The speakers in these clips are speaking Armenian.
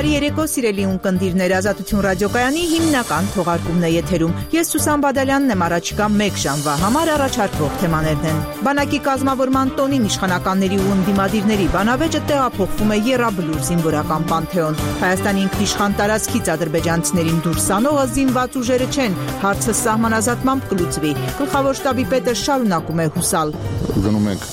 Բարի երեկո, սիրելի ունկնդիրներ, Ազատություն ռադիոկայանի հիմնական թողարկումն է եթերում։ Ես Սուսան Բադալյանն եմ, առաջիկա 1 ժամվա համար առաջարկվող թեմաներն են։ Բանակի կազմավորման տոնին իշխանականների ու ընդդիմադիրների բանավեճը տեղափոխվում է Եռաբլուր զինվորական պանթեոն։ Հայաստանի ինքնիշխան տարածքից ադրբեջանցիներին դուրս անողը զինված ուժերը չեն, հարցը սահմանազատմամբ կլուծվի։ Գլխավոր շտաբի պետը շարունակում է հուսալ։ Գնում ենք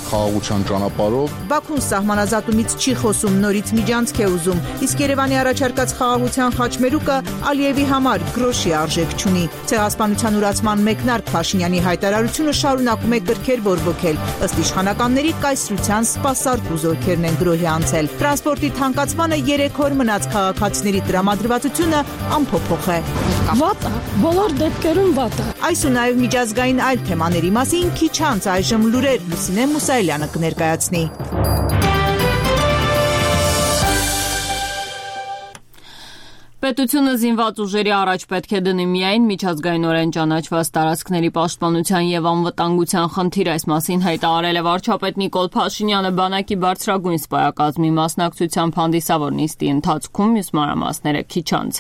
խաղաղության ճանապարհով։ Բաքուն սահմանազատումից չի խոսում, նորից միջանցք է ուզում, իսկ Երևանի առաջարկած խաղաղության խաչմերուկը Ալիևի համար գրոշի արժեք չունի։ Ցեղասպանության ուրացման մեկնարկ Փաշինյանի հայտարարությունը շարունակում է կրքեր բորբոքել, ըստ իշխանականների կայսրության սպասարկու զորքերն են գրոհի անցել։ Տրանսպորտի թանկացմանը 3 օր մնաց քաղաքացիների տրամադրվածությունը անփոփոխ է։ Վատ է, բոլոր դեպքերում վատ է։ Այս ու նաև միջազգային այլ թեմաների մասին քիչ անց այժմ լուրեր Լուսինե Մուսայելյանը կներկայացնի։ Պետությունը զինված ուժերի առաջ պետք է դնի միայն միջազգայինորեն ճանաչված տարածքների պաշտպանության եւ անվտանգության խնդիր, այս մասին հայտարարել է վարչապետ Նիկոլ Փաշինյանը բանակի բարձրագույն սպայակազմի մասնակցությամբ հանդիսավոր նիստի ընթացքում, մյուս մանրամասները քիչ անց։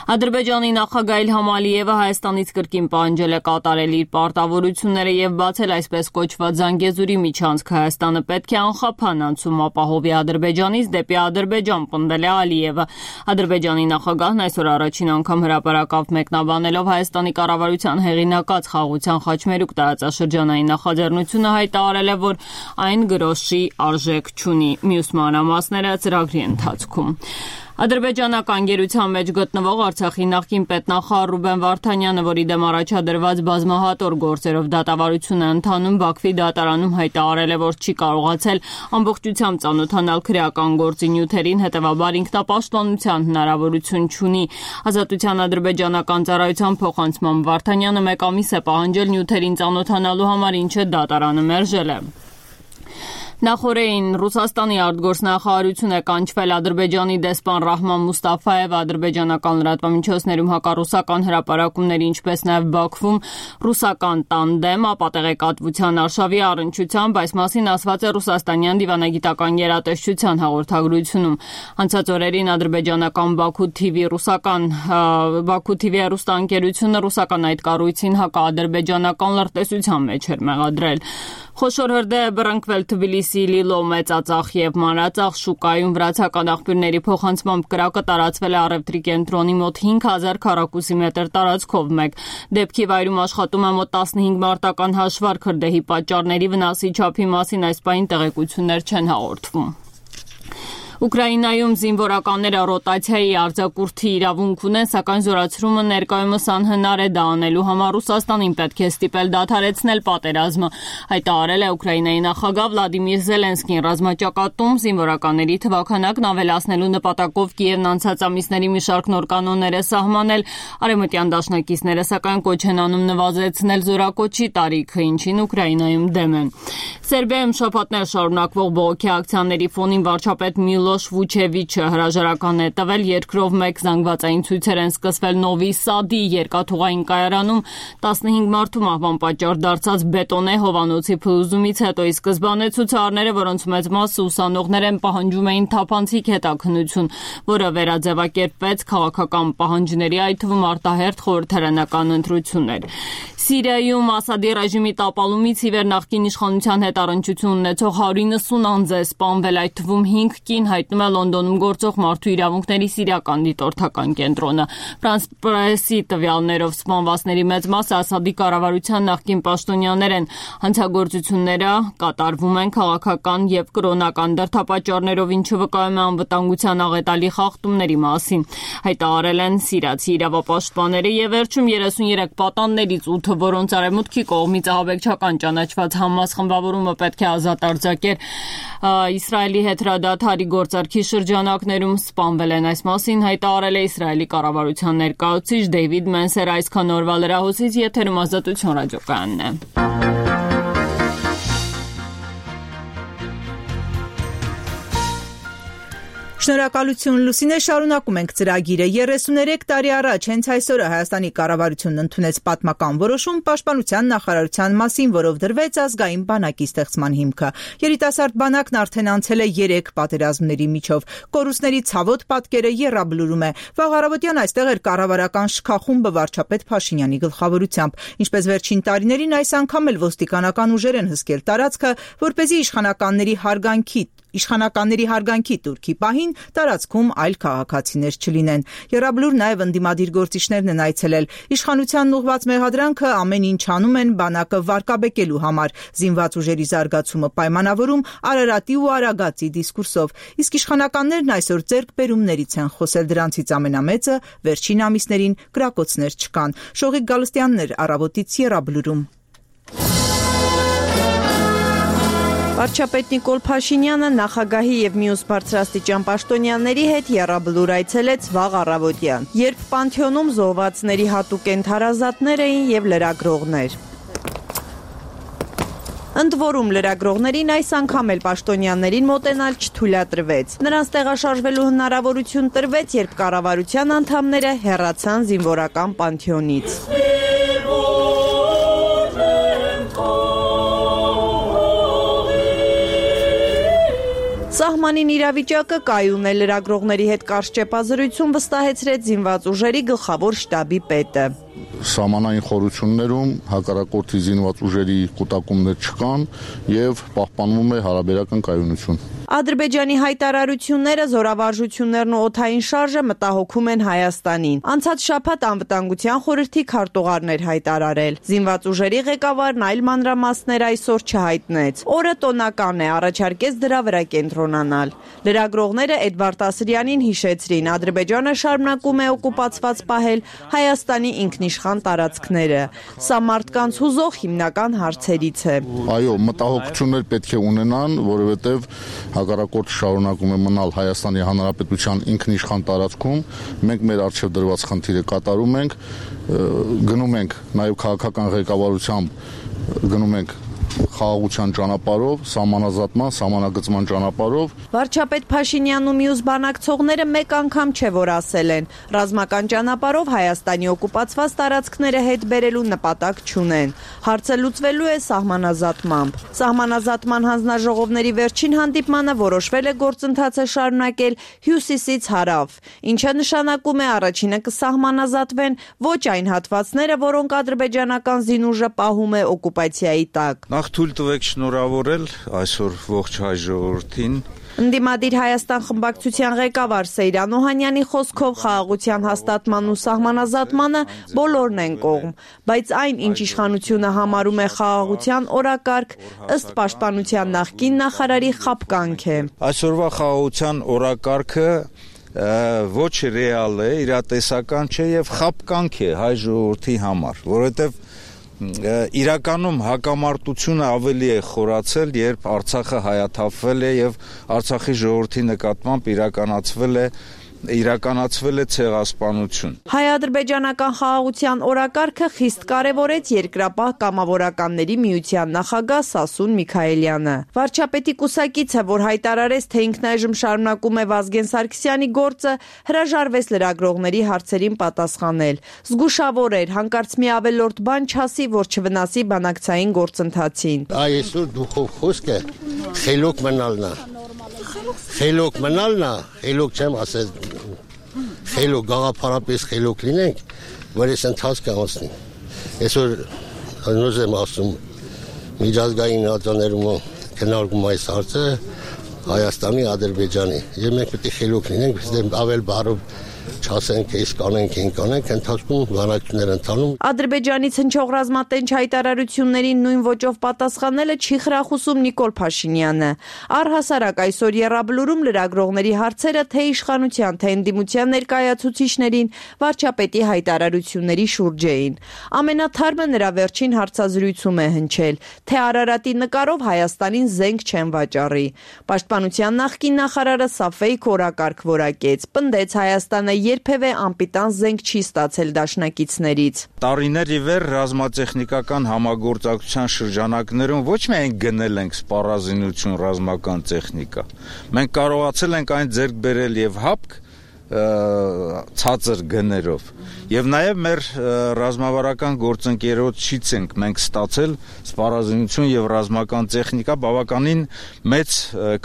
Ադրբեջանի նախագահ Իլհամ Ալիևը Հայաստանից կրկին պահանջել է կատարել իր պարտավորությունները եւ բացել այսպես կոչված Զանգեզուրի միջանցք։ Հայաստանը պետք է անխափան անցում ապահովի Ադրբեջանից դեպի Ադրբեջան, պնդել է Ալիևը։ Ադրբեջանի նախագահն այսօր առաջին անգամ հրապարակավ մեկնաբանելով Հայաստանի կառավարության հեղինակած խաղաղության խաչմերուկ տարածաշրջանային նախաձեռնությունը հայտարարել է, որ այն գրոշի արժեք չունի։ Մյուս մանրամասները ծրագրի ընթացքում։ Ադրբեջանական գերության մեջ գտնվող Արցախի նախկին պետնախարար Ռուբեն Վարդանյանը, որի դեմ առաջադրված բազմահատոր գործերով դատավարություն է ընթանում, Բաքվի դատարանում հայտարարել է, որ չի կարողացել ամբողջությամբ ծանոթանալ քրեական գործի նյութերին, հետևաբար ինքնապաշտպանության հնարավորություն չունի։ Ազատության ադրբեջանական ծառայության փոխանցման Վարդանյանը 1 ամիս է պահանջել նյութերին ծանոթանալու համար, ինչը դատարանը մերժել է։ Նախորդին Ռուսաստանի արտգործնախարարություն է կանչվել Ադրբեջանի դեսպան Ռահման Մուստաֆայևը ադրբեջանական լրատվամիջոցներում հակառուսական հրապարակումների, ինչպես նաև Բաքվում ռուսական տանդեմ ապատեղեկատվության արշավի առնչությամբ, այս մասին ասված է ռուսաստանյան դիվանագիտական գերատեսչության հաղորդագրությունում։ Անցած օրերին ադրբեջանական Բաքու TV հեռուստաընկերությունը ռուսական այդ կառույցին հակաադրբեջանական լրտեսության մեջ էր մեղադրել։ Խոշոր հրդեհ է բռնկվել Թբիլիսի Լիլո մեծածախ եւ մանրածախ շուկայում վրացական աղբյուրների փոխանցմամբ կրակը տարածվել է առևտրի կենտրոնի մոտ 5000 քառակուսի մետր տարածքով մեկ։ Դեպքի վայրում աշխատում է մոտ 15 մարտական հաշվարկ, հրդեհի պատճառների, վնասի չափի մասին այս պահին տեղեկություններ չեն հաղորդվում։ Ուկրաինայում զինվորականները ռոտացիայի արձակուրդի իրավունք ունեն, սակայն զորացումը ներկայումս անհնար է դա անելու համար Ռուսաստանին պետք է ստիպել դադարեցնել պատերազմը, հայտարարել է Ուկրաինայի նախագահ Վլադիմիր Զելենսկին։ Ռազմաճակատում զինվորականների թվաքանակն ավելացնելու նպատակով Կիևն անցած ամիսների մի շարք նոր կանոններ է սահմանել, արևմտյան դաշնակիցները սակայն կոչ են անում նվազեցնել զորակոչի տարիքը, ինչին Ուկրաինայում դեմ են։ Սերբիայում շաբաթներ շարունակվող բողոքի ակցիաների ֆոնին վարչապետ Միլոշ Վուչևիչը հրաժարական է տվել, երկրով մեկ զանգվածային ցույցեր են սկսվել Նովի Սադի երկաթուղային կայարանում 15 մարդու մահվան պատճառ դարձած բետոնե հովանոցի փլուզումից հետո, ի սկզբանե ցուցարարները, որոնց մեծ մասը ուսանողներ են, պահանջում էին թափանցիկ հետաքննություն, որը վերաձևակերպվեց քաղաքական պահանջների, այդ թվում արտահերթ խորհրդարանական ընտրություններ։ Սիրիայում Ասադի ռեժիմի տապալումից ի վեր նախկին իշխանության հետ առնչություն ունեցող 190 անձ է սպանվել, այդ թվում 5 կին, հայտնում է Լոնդոնում գործող մարդու իրավունքների սիրիական դիտորդական կենտրոնը։ Ֆրանս պրեսի տվյալներով սպանվածների մեծ մասը Ասադի կառավարության նախկին պաշտոնյաներ են։ Հանցագործությունները կատարվում են քաղաքական եւ կրոնական դրդապատճառներով, ինչը վկայում է անվտանգության աղետալի խախտումների մասին, հայտարարել են սիրիացի իրավապաշտպանները եւ վերջում 33 պատաններից 8, որոնց արևմուտքի կողմից ահաբեկչական ճանաչված Համաս խմբավորումը պետք է ազատ արձակեր Իսրայելի հետ հրադադարի գործարքի շրջանակներում, սպանվել են։ Այս մասին հայտարարել է Իսրայելի կառավարության ներկայացուցիչ Դեյվիդ Մենսերը։ Այսքան օրվա լրահոսից եթերում Ազատություն ռադիոկայանն է։ Շնորհակալություն Լուսինե, շարունակում ենք ծրագիրը։ 33 տարի առաջ հենց այսօրը Հայաստանի կառավարությունն ընդունեց պատմական որոշում Պաշտպանության նախարարության մասին, որով դրվեց ազգային բանակի ստեղծման հիմքը։ Երիտասարդ բանակն արդեն անցել է 3 պատերազմների միջով։ Կորուստների ցավոտ պատկերը եռաբլուրում է։ Վաղ առավոտյան այստեղ էր կառավարական շքախումբը վարչապետ Փաշինյանի գլխավորությամբ։ Ինչպես վերջին տարիներին, այս անգամ էլ ոստիկանական ուժեր են հսկել տարածքը, որպեսզի իշխանականների հարգանքի տուրքի պահին տարածքում այլ քաղաքացիներ չլինեն։ Եռաբլուր նաև ընդդիմադիր գործիչներն են այցելել։ Իշխանությանն ուղղված մեղադրանքը ամեն ինչ անում են բանակը վարկաբեկելու համար, զինված ուժերի զարգացումը պայմանավորում Արարատի ու Արագածի դիսկուրսով։ Իսկ իշխանականներն այսօր ձեռքբերումներից են խոսել, դրանցից ամենամեծը վերջին ամիսներին կրակոցներ չկան։ Շողիկ Գալստյանն էր առավոտից Եռաբլուրում։ Վարչապետ Նիկոլ Փաշինյանը նախագահի եւ մյուս բարձրաստիճան պաշտոնյաների հետ եռաբլուր այցելեց վաղ առավոտյան, երբ Պանթեոնում զոհվածների հատուկ ենթարազատներ էին եւ լրագրողներ։ Ընդ որում լրագրողներին այս անգամ էլ պաշտոնյաներին մոտենալ չթույլատրվեց։ Նրանց տեղաշարժվելու հնարավորություն տրվեց, երբ կառավարության անդամները հեռացան զինվորական Պանթեոնից։ Սահմանին իրավիճակը կայուն է, լրագրողների հետ կարճ ճեպազրույցում վստահեցրեց զինված ուժերի գլխավոր շտաբի պետը։ Սահմանային խորություններում հակառակորդի զինված ուժերի կուտակումներ չկան եւ պահպանվում է հարաբերական կայունություն։ Ադրբեջանի հայտարարությունները, զորավարժություններն ու օդային շարժը մտահոգում են Հայաստանին։ Անցած շաբաթ անվտանգության խորհրդի քարտուղարն էր հայտարարել։ Զինված ուժերի ղեկավարն այլ մանրամասներ այսօր չհայտնեց։ Օրը տոնական է, առաջարկեց դրա վրա կենտրոնանալ։ Լրագրողները Էդվարդ Ասրյանին հիշեցրին, Ադրբեջանը շարունակում է օկուպացված պահել Հայաստանի ինքնիշխան տարածքները։ Սա մարդկանց հուզող հիմնական հարցերից է։ Այո, մտահոգություններ պետք է ունենան, որովհետև հակառակորդը շարունակում է մնալ Հայաստանի Հանրապետության ինքնիշխան տարածքում, մենք մեր առջև դրված խնդիրը կատարում ենք, գնում ենք նաև քաղաքական ղեկավարությամբ գնում ենք խաղաղության ճանապարհով, սահմանազատման, սահմանագծման ճանապարհով։ Վարչապետ Փաշինյանն ու մյուս բանակցողները մեկ անգամ չէ որ ասել են, ռազմական ճանապարհով Հայաստանի օկուպացված տարածքները հետ բերելու նպատակ չունեն։ Հարցը լուծվելու է սահմանազատմամբ։ Սահմանազատման հանձնաժողովների վերջին հանդիպմանը որոշվել է գործընթացը շարունակել հյուսիսից հարավ, ինչը նշանակում է առաջինը կսահմանազատվեն ոչ այն հատվածները, որոնք ադրբեջանական զինուժը պահում է օկուպացիայի տակ։ Նախ թույլ տվեք շնորհավորել այսօր ողջ հայ ժողովրդին։ Ընդդիմադիր Հայաստան խմբակցության ղեկավար Սեյրան Օհանյանի խոսքով խաղաղության հաստատման ու սահմանազատմանը բոլորն են կողմ, բայց այն, ինչ իշխանությունը համարում է խաղաղության օրակարգ, ըստ պաշտպանության նախկին նախարարի խաբկանք է։ Այսօրվա խաղաղության օրակարգը ոչ ռեալ է, իրատեսական չէ եւ խաբկանք է հայ ժողովրդի համար, որովհետեւ իրականում հակամարտությունը ավելի է խորացել, երբ Արցախը հայաթափվել է եւ Արցախի ժողովրդի նկատմամբ իրականացվել է ցեղասպանություն։ Հայ-ադրբեջանական խաղաղության օրակարգը խիստ կարևորեց երկրապահ կամավորականների միության նախագահ Սասուն Միքայելյանը։ Վարչապետի կուսակիցը, որ հայտարարեց, թե ինքնայժմ շարունակում է Վազգեն Սարգսյանի գործը, հրաժարվեց լրագրողների հարցերին պատասխանել։ Զգուշավոր էր, հանկարծ մի ավելորդ բան չասի, որ չվնասի բանակցային գործընթացին։ Այսօր դուխով խոսքը խելոք մնալն է։ Խելոք մնալն է, խելոք չեմ ասել, խելոք գաղափարապես խելոք լինենք, որ այս ընթացքը անցնի։ Այսօր նույնպես եմ ասում, միջազգային ատյաներում քննարկում այս հարցը Հայաստանի, Ադրբեջանի, եւ մենք պետք է խելոք լինենք, biz ավել բառով չասենք, այս կանենք, այն կանենք, ընթացքում բանակցություններ ընթանում։ Ադրբեջանից հնչող ռազմատենչ հայտարարություններին նույն ոճով պատասխանելը չի խրախուսում Նիկոլ Փաշինյանը։ Առհասարակ այսօր եռաբլուրում լրագրողների հարցերը թե իշխանության, թե ընդդիմության ներկայացուցիչներին վարչապետի հայտարարությունների շուրջ էին։ Ամենաթարմը նրա վերջին հարցազրույցում է հնչել, թե Արարատի նկարով Հայաստանին զենք չեն վաճառի։ Պաշտպանության նախկին նախարարը սա ֆեյք օրակարգ որակեց, պնդեց Հայաստանը երբևէ անպիտան զենք չի ստացել դաշնակիցներից։ Տարիներ ի վեր ռազմատեխնիկական համագործակցության շրջանակներում ոչ միայն գնել ենք սպառազինություն ռազմական տեխնիկա, մենք կարողացել ենք այն ձեռք բերել եւ հապկ ցածր գներով եւ նաեւ մեր ռազմավարական գործընկերոջից ենք մենք ստացել սպառազինություն եւ ռազմական տեխնիկա բավականին մեծ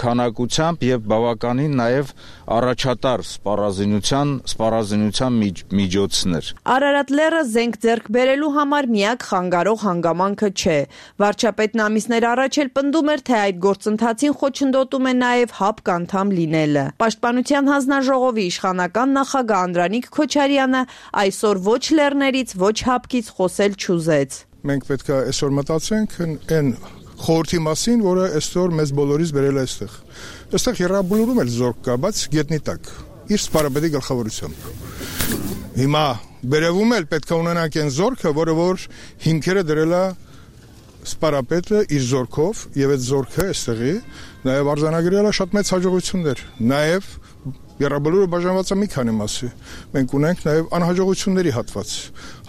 քանակությամբ եւ բավականին նաեւ առաջատար սպառազինության միջոցներ։ Արարատ լեռը զենք ձեռք բերելու համար միակ խանգարող հանգամանքը չէ։ Վարչապետն ամիսներ առաջ էլ պնդում էր, թե այդ գործընթացին խոչընդոտում է նաեւ հապկ անդամ լինելը։ Պաշտպանության հանձնաժողովի իշխանական նախագահ Անդրանիկ Քոչարյանը այսօր ոչ լեռներից, ոչ հապկից խոսել չուզեց։ Մենք պետք է այսօր մտածենք այն խորհրդի մասին, որը այսօր մեզ բոլորից բերել է այստեղ։ Այստեղ Եռաբլուրում էլ զորք կա, բայց գետնի տակ, իր սպարապետի գլխավորությամբ։ Հիմա բերևում էլ պետք է ունենանք այն զորքը, որը որ հիմքերը դրել է սպարապետը իր զորքով, եւ այդ զորքը այստեղի նաեւ արձանագրել է շատ մեծ հաջողություններ, նաեւ Եռաբլուրը բաժանված է մի քանի մասի։ Մենք ունենք նաև անհաջողությունների հատված։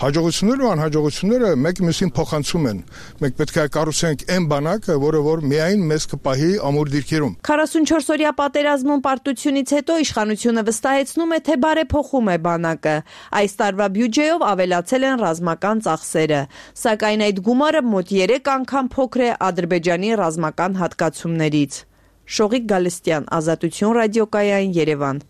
Հաջողությունները ու անհաջողությունները մեկը մյուսին փոխանցում են։ Մենք պետք է կառուցենք այն բանակը, որը որ միայն մեզ կպահի ամուր դիրքերում։ 44-օրյա պատերազմում պարտությունից հետո իշխանությունը վստահեցնում է, թե բարեփոխում է բանակը։ Այս տարվա բյուջեով ավելացել են ռազմական ծախսերը, սակայն այդ գումարը մոտ 3 անգամ փոքր է Ադրբեջանի ռազմական հատկացումներից։ Շողիկ Գալստյան, Ազատություն ռադիոկայան, Երևան։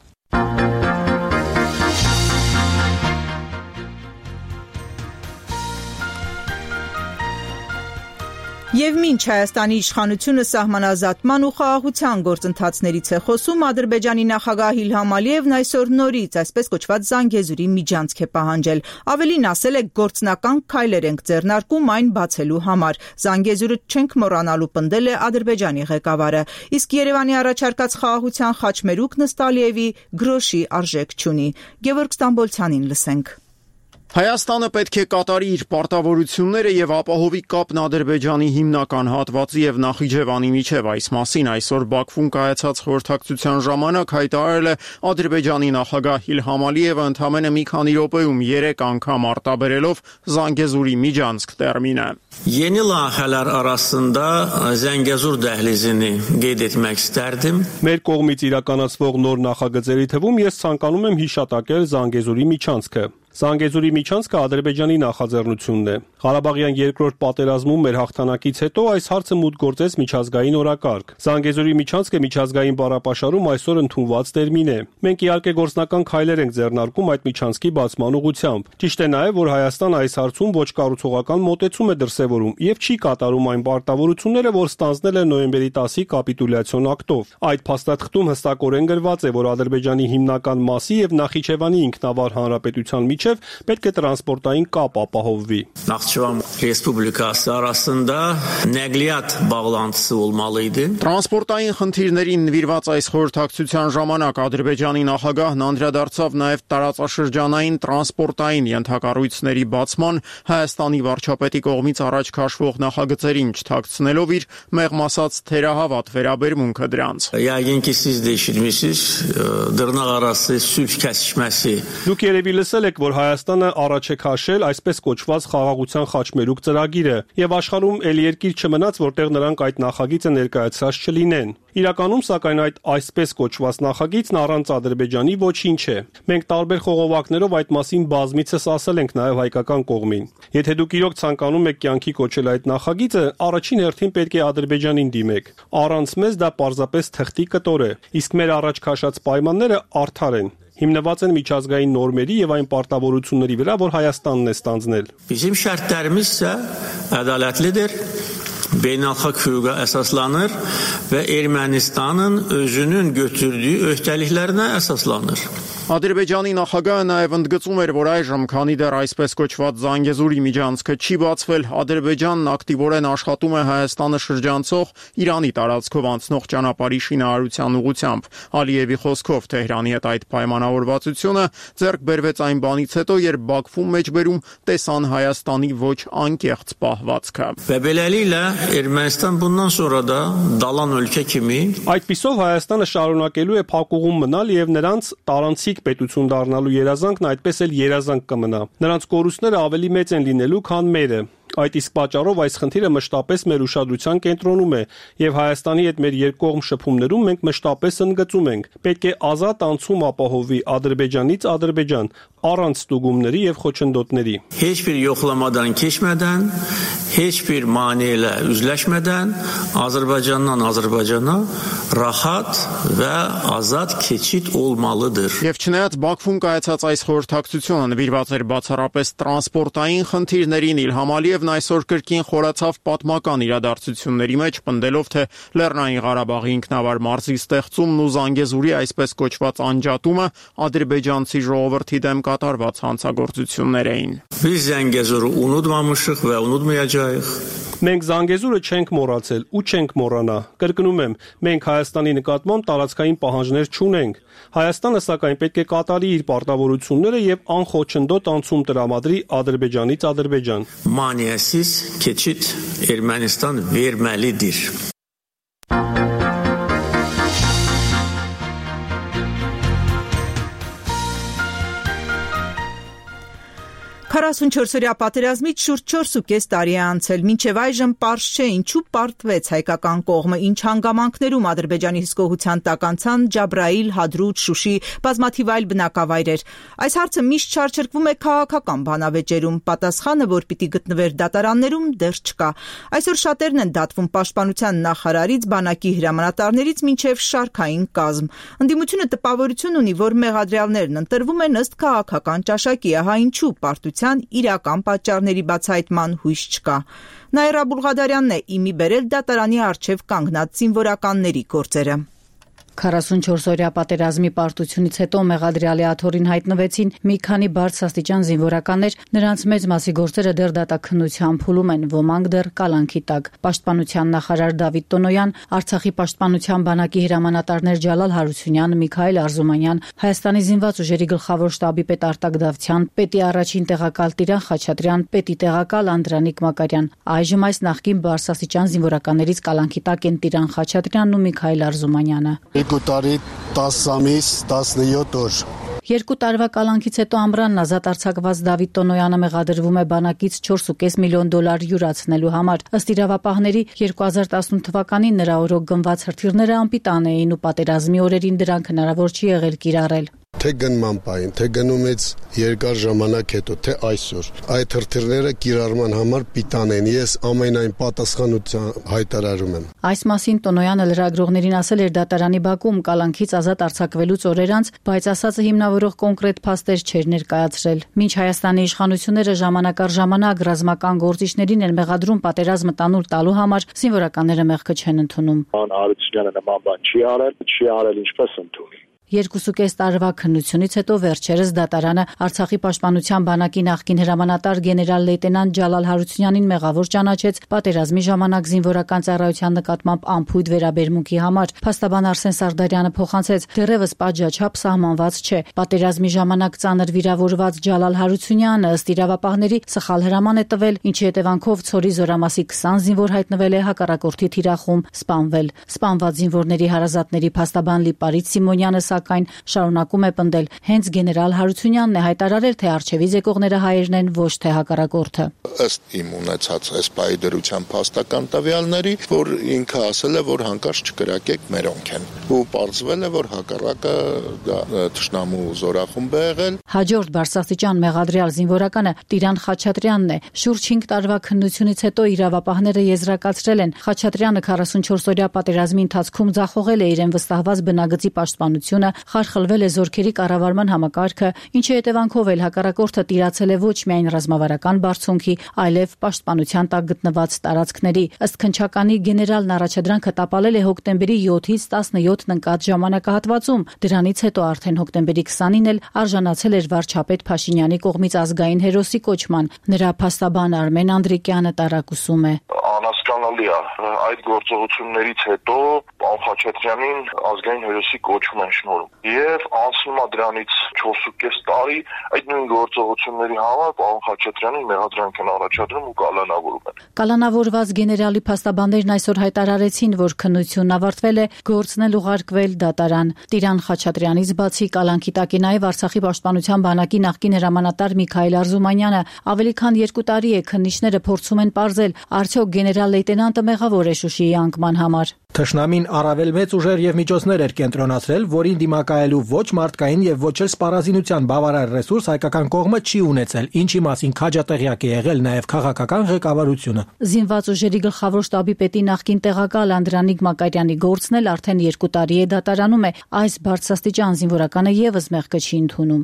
Եվ մինչ Հայաստանի իշխանությունը սահմանազատման ու խաղաղության գործընթացներից է խոսում, Ադրբեջանի նախագահ Իլհամ Ալիևն այսօր նորից այսպես կոչված Զանգեզուրի միջանցք է պահանջել։ Ավելին ասել է, գործնական քայլեր ենք ձեռնարկում այն բացելու համար։ Զանգեզուրը չենք մոռանալու, պնդել է Ադրբեջանի ղեկավարը։ Իսկ Երևանի առաջարկած խաղաղության խաչմերուկն ըստ Ալիևի գրոշի արժեք չունի։ Գևորգ Ստամբոլցյանին լսենք։ Հայաստանը պետք է կատարի իր պարտավորությունները եւ ապահովի կապն Ադրբեջանի հիմնական հատվածի եւ Նախիջևանի միջև։ Այս մասին այսօր Բաքվում կայացած խորհրդակցության ժամանակ հայտարարել է Ադրբեջանի նախագահ Իլհամ Ալիևը ընդամենը մի քանի րոպեում 3 անգամ արտաբերելով Զանգեզուրի միջանցք տերմինը։ Yeni layihələr arasında Zəngəzur dəhlizini qeyd etmək istərdim. Մեր կողմից իրականացվող նոր նախագծերի թվում ես ցանկանում եմ հիշատակել Զանգեզուրի միջանցքը։ Զանգեզուրի միջանցքը Ադրբեջանի նախաձեռնությունն է։ Ղարաբաղյան երկրորդ պատերազմում մեր հաղթանակից հետո այս հարցը մուտք գործեց միջազգային օրակարգ։ Զանգեզուրի միջանցքը միջազգային բառապաշարում այսօր ընդունված տերմին է։ Մենք իհարկե գործնական քայլեր ենք ձեռնարկում այդ միջանցքի բացման ուղղությամբ։ Ճիշտ է նաև, որ Հայաստանը այս հարցում ոչ կառուցողական մոտեցում է դրսևորում եւ չի կատարում այն պարտավորությունները, որ ստանձնել է նոյեմբերի 10-ի կապիտուլյացիոն ակտով։ Այդ փաստաթղթում հստակորեն գրված է, որ Ադրբեջանի հիմնական մասի եւ Նախիջևանի ինքնավար հանրապետության միջև պետք է տրանսպորտային կապ ապահովվի։ Naxçıvan Respublikası arasında nəqliyyat bağlantısı olmalı idi. Տրանսպորտային խնդիրներին նվիրված այս խորհրդակցության ժամանակ Ադրբեջանի նախագահն անդրադարձավ նաև տարածաշրջանային տրանսպորտային ենթակառույցների բացման Հայաստանի վարչապետի կողմից առաջ քաշվող նախագծերին չթաքցնելով իր մեղմ ասած թերահավատ վերաբերմունքը դրանց։ Yəqin ki siz də eşitmisiniz, dırnaqarası sülh kəsişməsi. Դուք երևի լսել եք, որ Հայաստանը առաջ է քաշել այսպես կոչված խաղաղության խաչմերուկ ծրագիրը, եւ աշխարհում ել երկիր չմնաց, որտեղ նրանք այդ նախագիծը ներկայացրած չլինեն։ Իրականում, սակայն այդ այսպես կոչված նախագիծն առանց Ադրբեջանի ոչինչ է։ Մենք տարբեր խողովակներով այդ մասին բազմիցս ասել ենք նաև հայկական կողմին։ Եթե դուք իրոք ցանկանում եք կյանքի կոչել այդ նախագիծը, առաջին հերթին պետք է Ադրբեջանին դիմեք։ Առանց մեզ դա պարզապես թղթի կտոր է, իսկ մեր առաջ քաշած պայմանները արդար են։ Հիմնված են միջազգային նորմերի եւ այն պարտավորությունների վրա, որ Հայաստանն է ստանձնել։ Bizim şərtlərimiz isə ədalətlidir. Beynəlxalq hüquqa əsaslanır və Ermənistanın özünün götürdüyü öhdəliklərinə əsaslanır. Ադրբեջանի նախագահը նաև ընդգծում էր, որ այժմ, քանի դեռ այսպես կոչված Զանգեզուրի միջանցքը չի բացվել, Ադրբեջանն ակտիվորեն աշխատում է Հայաստանը շրջանցող Իրանի տարածքով անցնող ճանապարհի շինարարության ուղղությամբ։ Ալիևի խոսքով Թեհրանի հետ այդ պայմանավորվածությունը ձեռք բերվեց այն բանից հետո, երբ Բաքվում մեջբերում տեսան Հայաստանի ոչ անկեղծ պահվածքը։ Və beləliklə Ermənistan bundan sonra da dalan ölkə kimi Այդպիսով Հայաստանը շարունակելու է փակուղում մնալ եւ նրանց տարանցիկ պետություն դառնալու երազանքն այդպես էլ երազանք կմնա։ Նրանց կորուստները ավելի մեծ են լինելու, քան մերը։ Այդ իսկ պատճառով այս խնդիրը մշտապես մեր ուշադրության կենտրոնում է եւ Հայաստանի հետ մեր երկկողմ շփումներում մենք մշտապես ընդգծում ենք. պետք է ազատ անցում ապահովի Ադրբեջանից Ադրբեջան առանց ստուգումների եւ խոչընդոտների։ Heç bir yoxlamadan keçmədən, heç bir maneələ üzləşmədən Azərbaycandan Azərbaycana rahat və azad keçid olmalıdır։ Եվ չնայած Բաքվում կայացած այս խորհրդակցությունը նվիրված էր բացառապես տրանսպորտային խնդիրներին, Իլհամ Ալիևն այսօր կրկին խորացավ պատմական իրադարձությունների մեջ, պնդելով, թե Լեռնային Ղարաբաղի ինքնավար մարզի ստեղծումն ու Զանգեզուրի այսպես կոչված անջատումը ադրբեջանցի ժողովրդի դեմ կատարված հանցագործություններ էին։ Biz Zəngəzuru unutmamışıq və unutmayacağıq։ Մենք Զանգեզուրը չենք մոռացել ու չենք մոռանա։ Կրկնում եմ, մենք Հայաստանի նկատմամբ տարածքային պահանջներ չունենք։ Հայաստանը սակայն պետք է կատարի իր պարտավորությունները եւ անխոչնդոտ անցում տրամադրի Ադրբեջանից Ադրբեջան։ Maneəsiz keçid Ermənistan verməlidir։ 44-օրյա պատերազմից շուրջ 4.5 տարի է անցել, մինչև այժմ պարզ չէ ինչու պարտվեց հայկական կողմը, ինչ հանգամանքներում Ադրբեջանի հսկողության տակ անցան Ջաբրայիլ, Հադրութ, Շուշի, բազմաթիվ այլ բնակավայրեր։ Այս հարցը միշտ շարժվում է քաղաքական բանավեճերում, պատասխանը, որ պիտի գտնվեր դատարաններում, դեռ չկա։ Այսօր շատերն են դատվում պաշտպանության նախարարից, բանակի հրամանատարներից մինչև շարքային կազմ։ Ընդդիմությունը տպավորություն ունի, որ մեղադրյալներն ընտրվում են ըստ քաղաքական ճաշակի, ահա ինչու պարտության իրական պատճառների բացահայտման հույս չկա։ Նաիրա Բուլղադարյանն է իմի բերել դատարանի առջև կանգնած զինվորականների գործերը։ 44-օրյա պատերազմի պարտությունից հետո մեղադրյալի աթոռին հայտնվեցին մի քանի բարձրաստիճան զինվորականներ, նրանց մեծ մասի գործերը դեռ դատաքննության փուլում են, ոմանք դեռ կալանքի տակ։ Պաշտպանության նախարար Դավիթ Տոնոյան, Արցախի պաշտպանության բանակի հրամանատարներ Ջալալ Հարությունյան, Միքայել Արզումանյան, Հայաստանի զինված ուժերի գլխավոր շտաբի պետ Արտակ Դավթյան, պետի առաջին տեղակալ Տիրան Խաչատրյան, պետի տեղակալ Անդրանիկ Մակարյան։ Այժմ այս նախկին բարձրաստիճան զինվորականներից կալանքի տակ են Տիրան Խաչատրյանն ու Միքայել Արզումանյանը։ 2 տարի 10 ամիս 17 օր 2 տարվա կալանքից հետո ամռանն ազատ արձակված Դավիթ Տոնոյանը մեղադրվում է բանակից $4.5 միլիոն յուրացնելու համար։ Ըստ իրավապահների 2018 թվականին նրա օրոք գնված հրթիռները անպիտան էին ու պատերազմի օրերին դրանք հնարավոր չի եղել կիրառել։ Թե գնման պահին, թե գնումից երկար ժամանակ հետո, թե այսօր այդ հրթիռները կիրառման համար պիտան են։ Ես ամենայն պատասխանություն հայտարարում եմ։ Այս մասին Տոնոյանը լրագրողներին ասել էր դատարանի բակում կալանքից ազատ արձակվելուց օրեր անց, բայց ասածը հիմնավորող կոնկրետ փաստեր չէր ներկայացրել։ Մինչ Հայաստանի իշխանությունները ժամանակ առ ժամանակ ռազմական գործիչներին են մեղադրում պատերազմը տանուլ տալու համար, զինվորականները մեղքը չեն ընդունում։ Արությունյանը նման բան չի արել ինչպես ընդունի։ 2.5 տարվա քննությունից հետո վերջերս դատարանը Արցախի պաշտպանության բանակի նախկին հրամանատար գեներալ լեյտենանտ Ջալալ Հարությունյանին մեղավոր ճանաչեց պատերազմի ժամանակ զինվորական ծառայության նկատմամբ անփույթ վերաբերմունքի համար։ Փաստաբան Արսեն Սարդարյանը փոխանցեց. դեռևս պատժաչափ սահմանված չէ։ Պատերազմի ժամանակ ծանր վիրավորված Ջալալ Հարությունյանը ըստ իրավապահների սխալ հրաման է տվել, ինչի հետևանքով Ցորի Զորամասի 20 զինվոր հայտնվել է հակառակորդի թիրախում, սպանվել։ Սպանված զինվորների հարազատների փաստաբան Լիպարիտ Սիմոնյանը սակայն շարունակում է պնդել, հենց գեներալ Հարությունյանն է հայտարարել, թե արչեվից եկողները հայերն են, ոչ թե հակառակորդը։ Ըստ իմ ունեցած այս պահի դրության փաստական տվյալների, որ ինքը ասել է, որ հանկարծ չկրակեք մերոնք են, ու պարզվել է, որ հակառակը թշնամու զորախումբ է եղել։ Հաջորդ բարձրաստիճան մեղադրյալ զինվորականը Տիրան Խաչատրյանն է։ Շուրջ 5 տարվա քննությունից հետո իրավապահները եզրակացրել են, Խաչատրյանը 44-օրյա պատերազմի ընթացքում ձախողել է իրեն վստահված բնագծի պաշտպանությունը, խարխլվել է զորքերի կառավարման համակարգը, ինչի հետևանքով էլ հակառակորդը տիրացել է ոչ միայն ռազմավարական բարձունքի, այլև պաշտպանության տակ գտնված տարածքների։ Ըստ քննչականի գեներալն առաջադրանքը տապալել է հոկտեմբերի 7-ից 17-ն ընկած ժամանակահատվածում։ Դրանից հետո արդեն հոկտեմբերի 20-ին էլ արժանացել էր վարչապետ Փաշինյանի կողմից ազգային հերոսի կոչման։ Նրա փաստաբան Արմեն Անդրիկյանը տարակուսում է. Անհասկանալի է, այդ գործողություններից հետո Խաչատրյանին ազգային հերոսի կոչում են շնորհում։ Եվ անցնում է դրանից 4.5 տարի այդ նույն գործողությունների համար պարոն Խաչատրյանին մեղադրանք են առաջադրում ու կալանավորում են։ Կալանավորված գեներալի փաստաբաններն այսօր հայտարարեցին, որ քննությունն ավարտվել է, գործն էլ ուղարկվել դատարան։ Տիրան Խաչատրյանից բացի կալանքի տակ է նաև Արցախի պաշտպանության բանակի նախկին հրամանատար Միքայել Արզումանյանը։ Ավելի քան 2 տարի է քննիչները փորձում են պարզել, արդյոք գեներալ լեյտենանտը մեղավոր է Շուշիի անկման համար։ Թշնամին առավել մեծ ուժեր եւ միջոցներ էր կենտրոնացրել, որին դիմակայելու ոչ մարդկային եւ ոչ էլ սպառազինության բավարար ռեսուրս հայկական կողմը չի ունեցել, ինչի մասին քաջատեղյակ է եղել նաեւ քաղաքական ղեկավարությունը։ Զինված ուժերի գլխավոր շտաբի պետի նախկին տեղակալ Անդրանիկ Մակարյանի գործն էլ արդեն 2 տարի է դատարանում է, այս բարձրաստիճան զինվորականը եւս մեղքը չի ընդունում։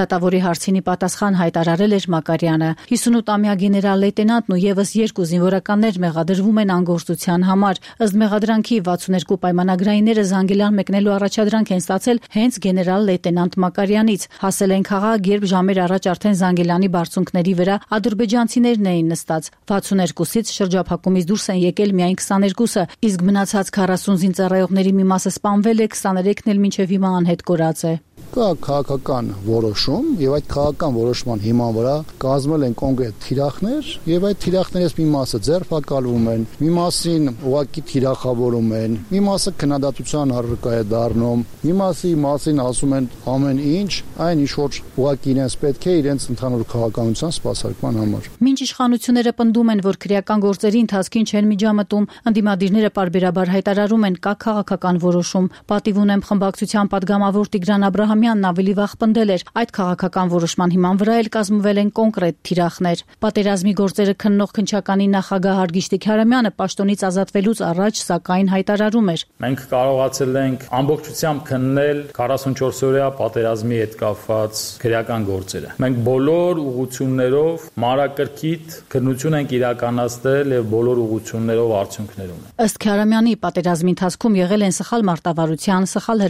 Դատավորի հարցինի պատասխան հայտարարել էր Մակարյանը։ 58-ամյա գեներալ լեյտենանտն ու եւս 2 զինվորականներ մեղադրվում են անգործության համար։ Ըստ մեղադրանքի 62 պայմանագրայինները Զանգիլան մեկնելու առաջադրանք են ստացել հենց գեներալ լեյտենանտ Մակարյանից։ Հասել են քաղաք, երբ ժամեր առաջ արդեն Զանգիլանի բարձունքների վրա ադրբեջանցիներն էին նստած։ 62-ից շրջափակումից դուրս են եկել միայն 22-ը, իսկ մնացած 40 զինծառայողների մի մասը սպանվել է, 23-ն էլ մինչև հիմա անհետ կորած է։ Կա քաղաքական որոշում եւ այդ քաղաքական որոշման հիման վրա կազմել են կոնկրետ թիրախներ եւ այդ թիրախներից մի մասը ձերբակալվում են, մի մասին ուղակի թիրախավորում են, մի մասը քննադատության առարկա է դառնում, մի մասին ասում են ամեն ինչ, այն ինչ որ ուղակի իրենց պետք է իրենց ընդհանուր քաղաքականության սպասարկման համար։ Մինչ իշխանությունները պնդում են, որ քրեական գործերի ընթացքին չեն միջամտում, ընդդիմադիրները պարբերաբար հայտարարում են կա քաղաքական որոշում։ Պատիվ ունեմ խմբակցության падգամավոր Տիգրան Աբրահամյանն ավելի վաղ պնդել էր, այդ քաղաքական որոշման հիման վրա էլ կազմվել են կոնկրետ թիրախներ։ Պատերազմի գործերը քննող քննչականի նախագահ Հարգիշտի Քարամյանը պաշտոնից ազատվելուց առաջ սակայն հայտարարում էր. Մենք կարողացել ենք ամբողջությամբ քննել 44-օրյա պատերազմի հետ կապված քրեական գործերը։ Մենք բոլոր ուղղություններով մանրակրկիտ քննություն ենք իրականացնել եւ բոլոր ուղղություններով արդյունքներ ունենք։ Ըստ Քարամյանի պատերազմի ընթացքում եղել են սխալ մարտավարության, սխալ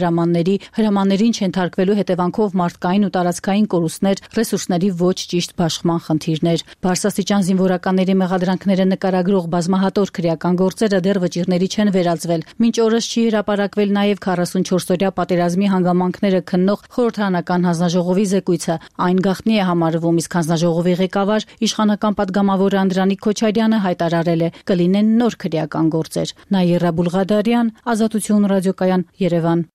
հրամաններին չընթարկվելու հետևանքով մարդկային ու տարածքային կորուստներ, ռեսուրսների ոչ ճիշտ բաշխման խնդիրներ։ Բարձրաստիճան զինվորականների մեղադրանքները նկարագրող բազմահատոր քրեական գործերը դեռ վճիռների չեն վերածվել։ Մինչ օրս չի հրապարակվել նաև 44-օրյա պատերազմի հանգամանքները քննող խորհրդարանական հանձնաժողովի զեկույցը։ Այն գաղտնի է համարվում, իսկ հանձնաժողովի ղեկավար իշխանական падգամավոր Անդրանիկ Քոչարյանը հայտարարել է կլինեն նոր քրեական գործեր։ Նաիրա Բուլղադարյան, Ազատություն ռադիոկայան, Երևան։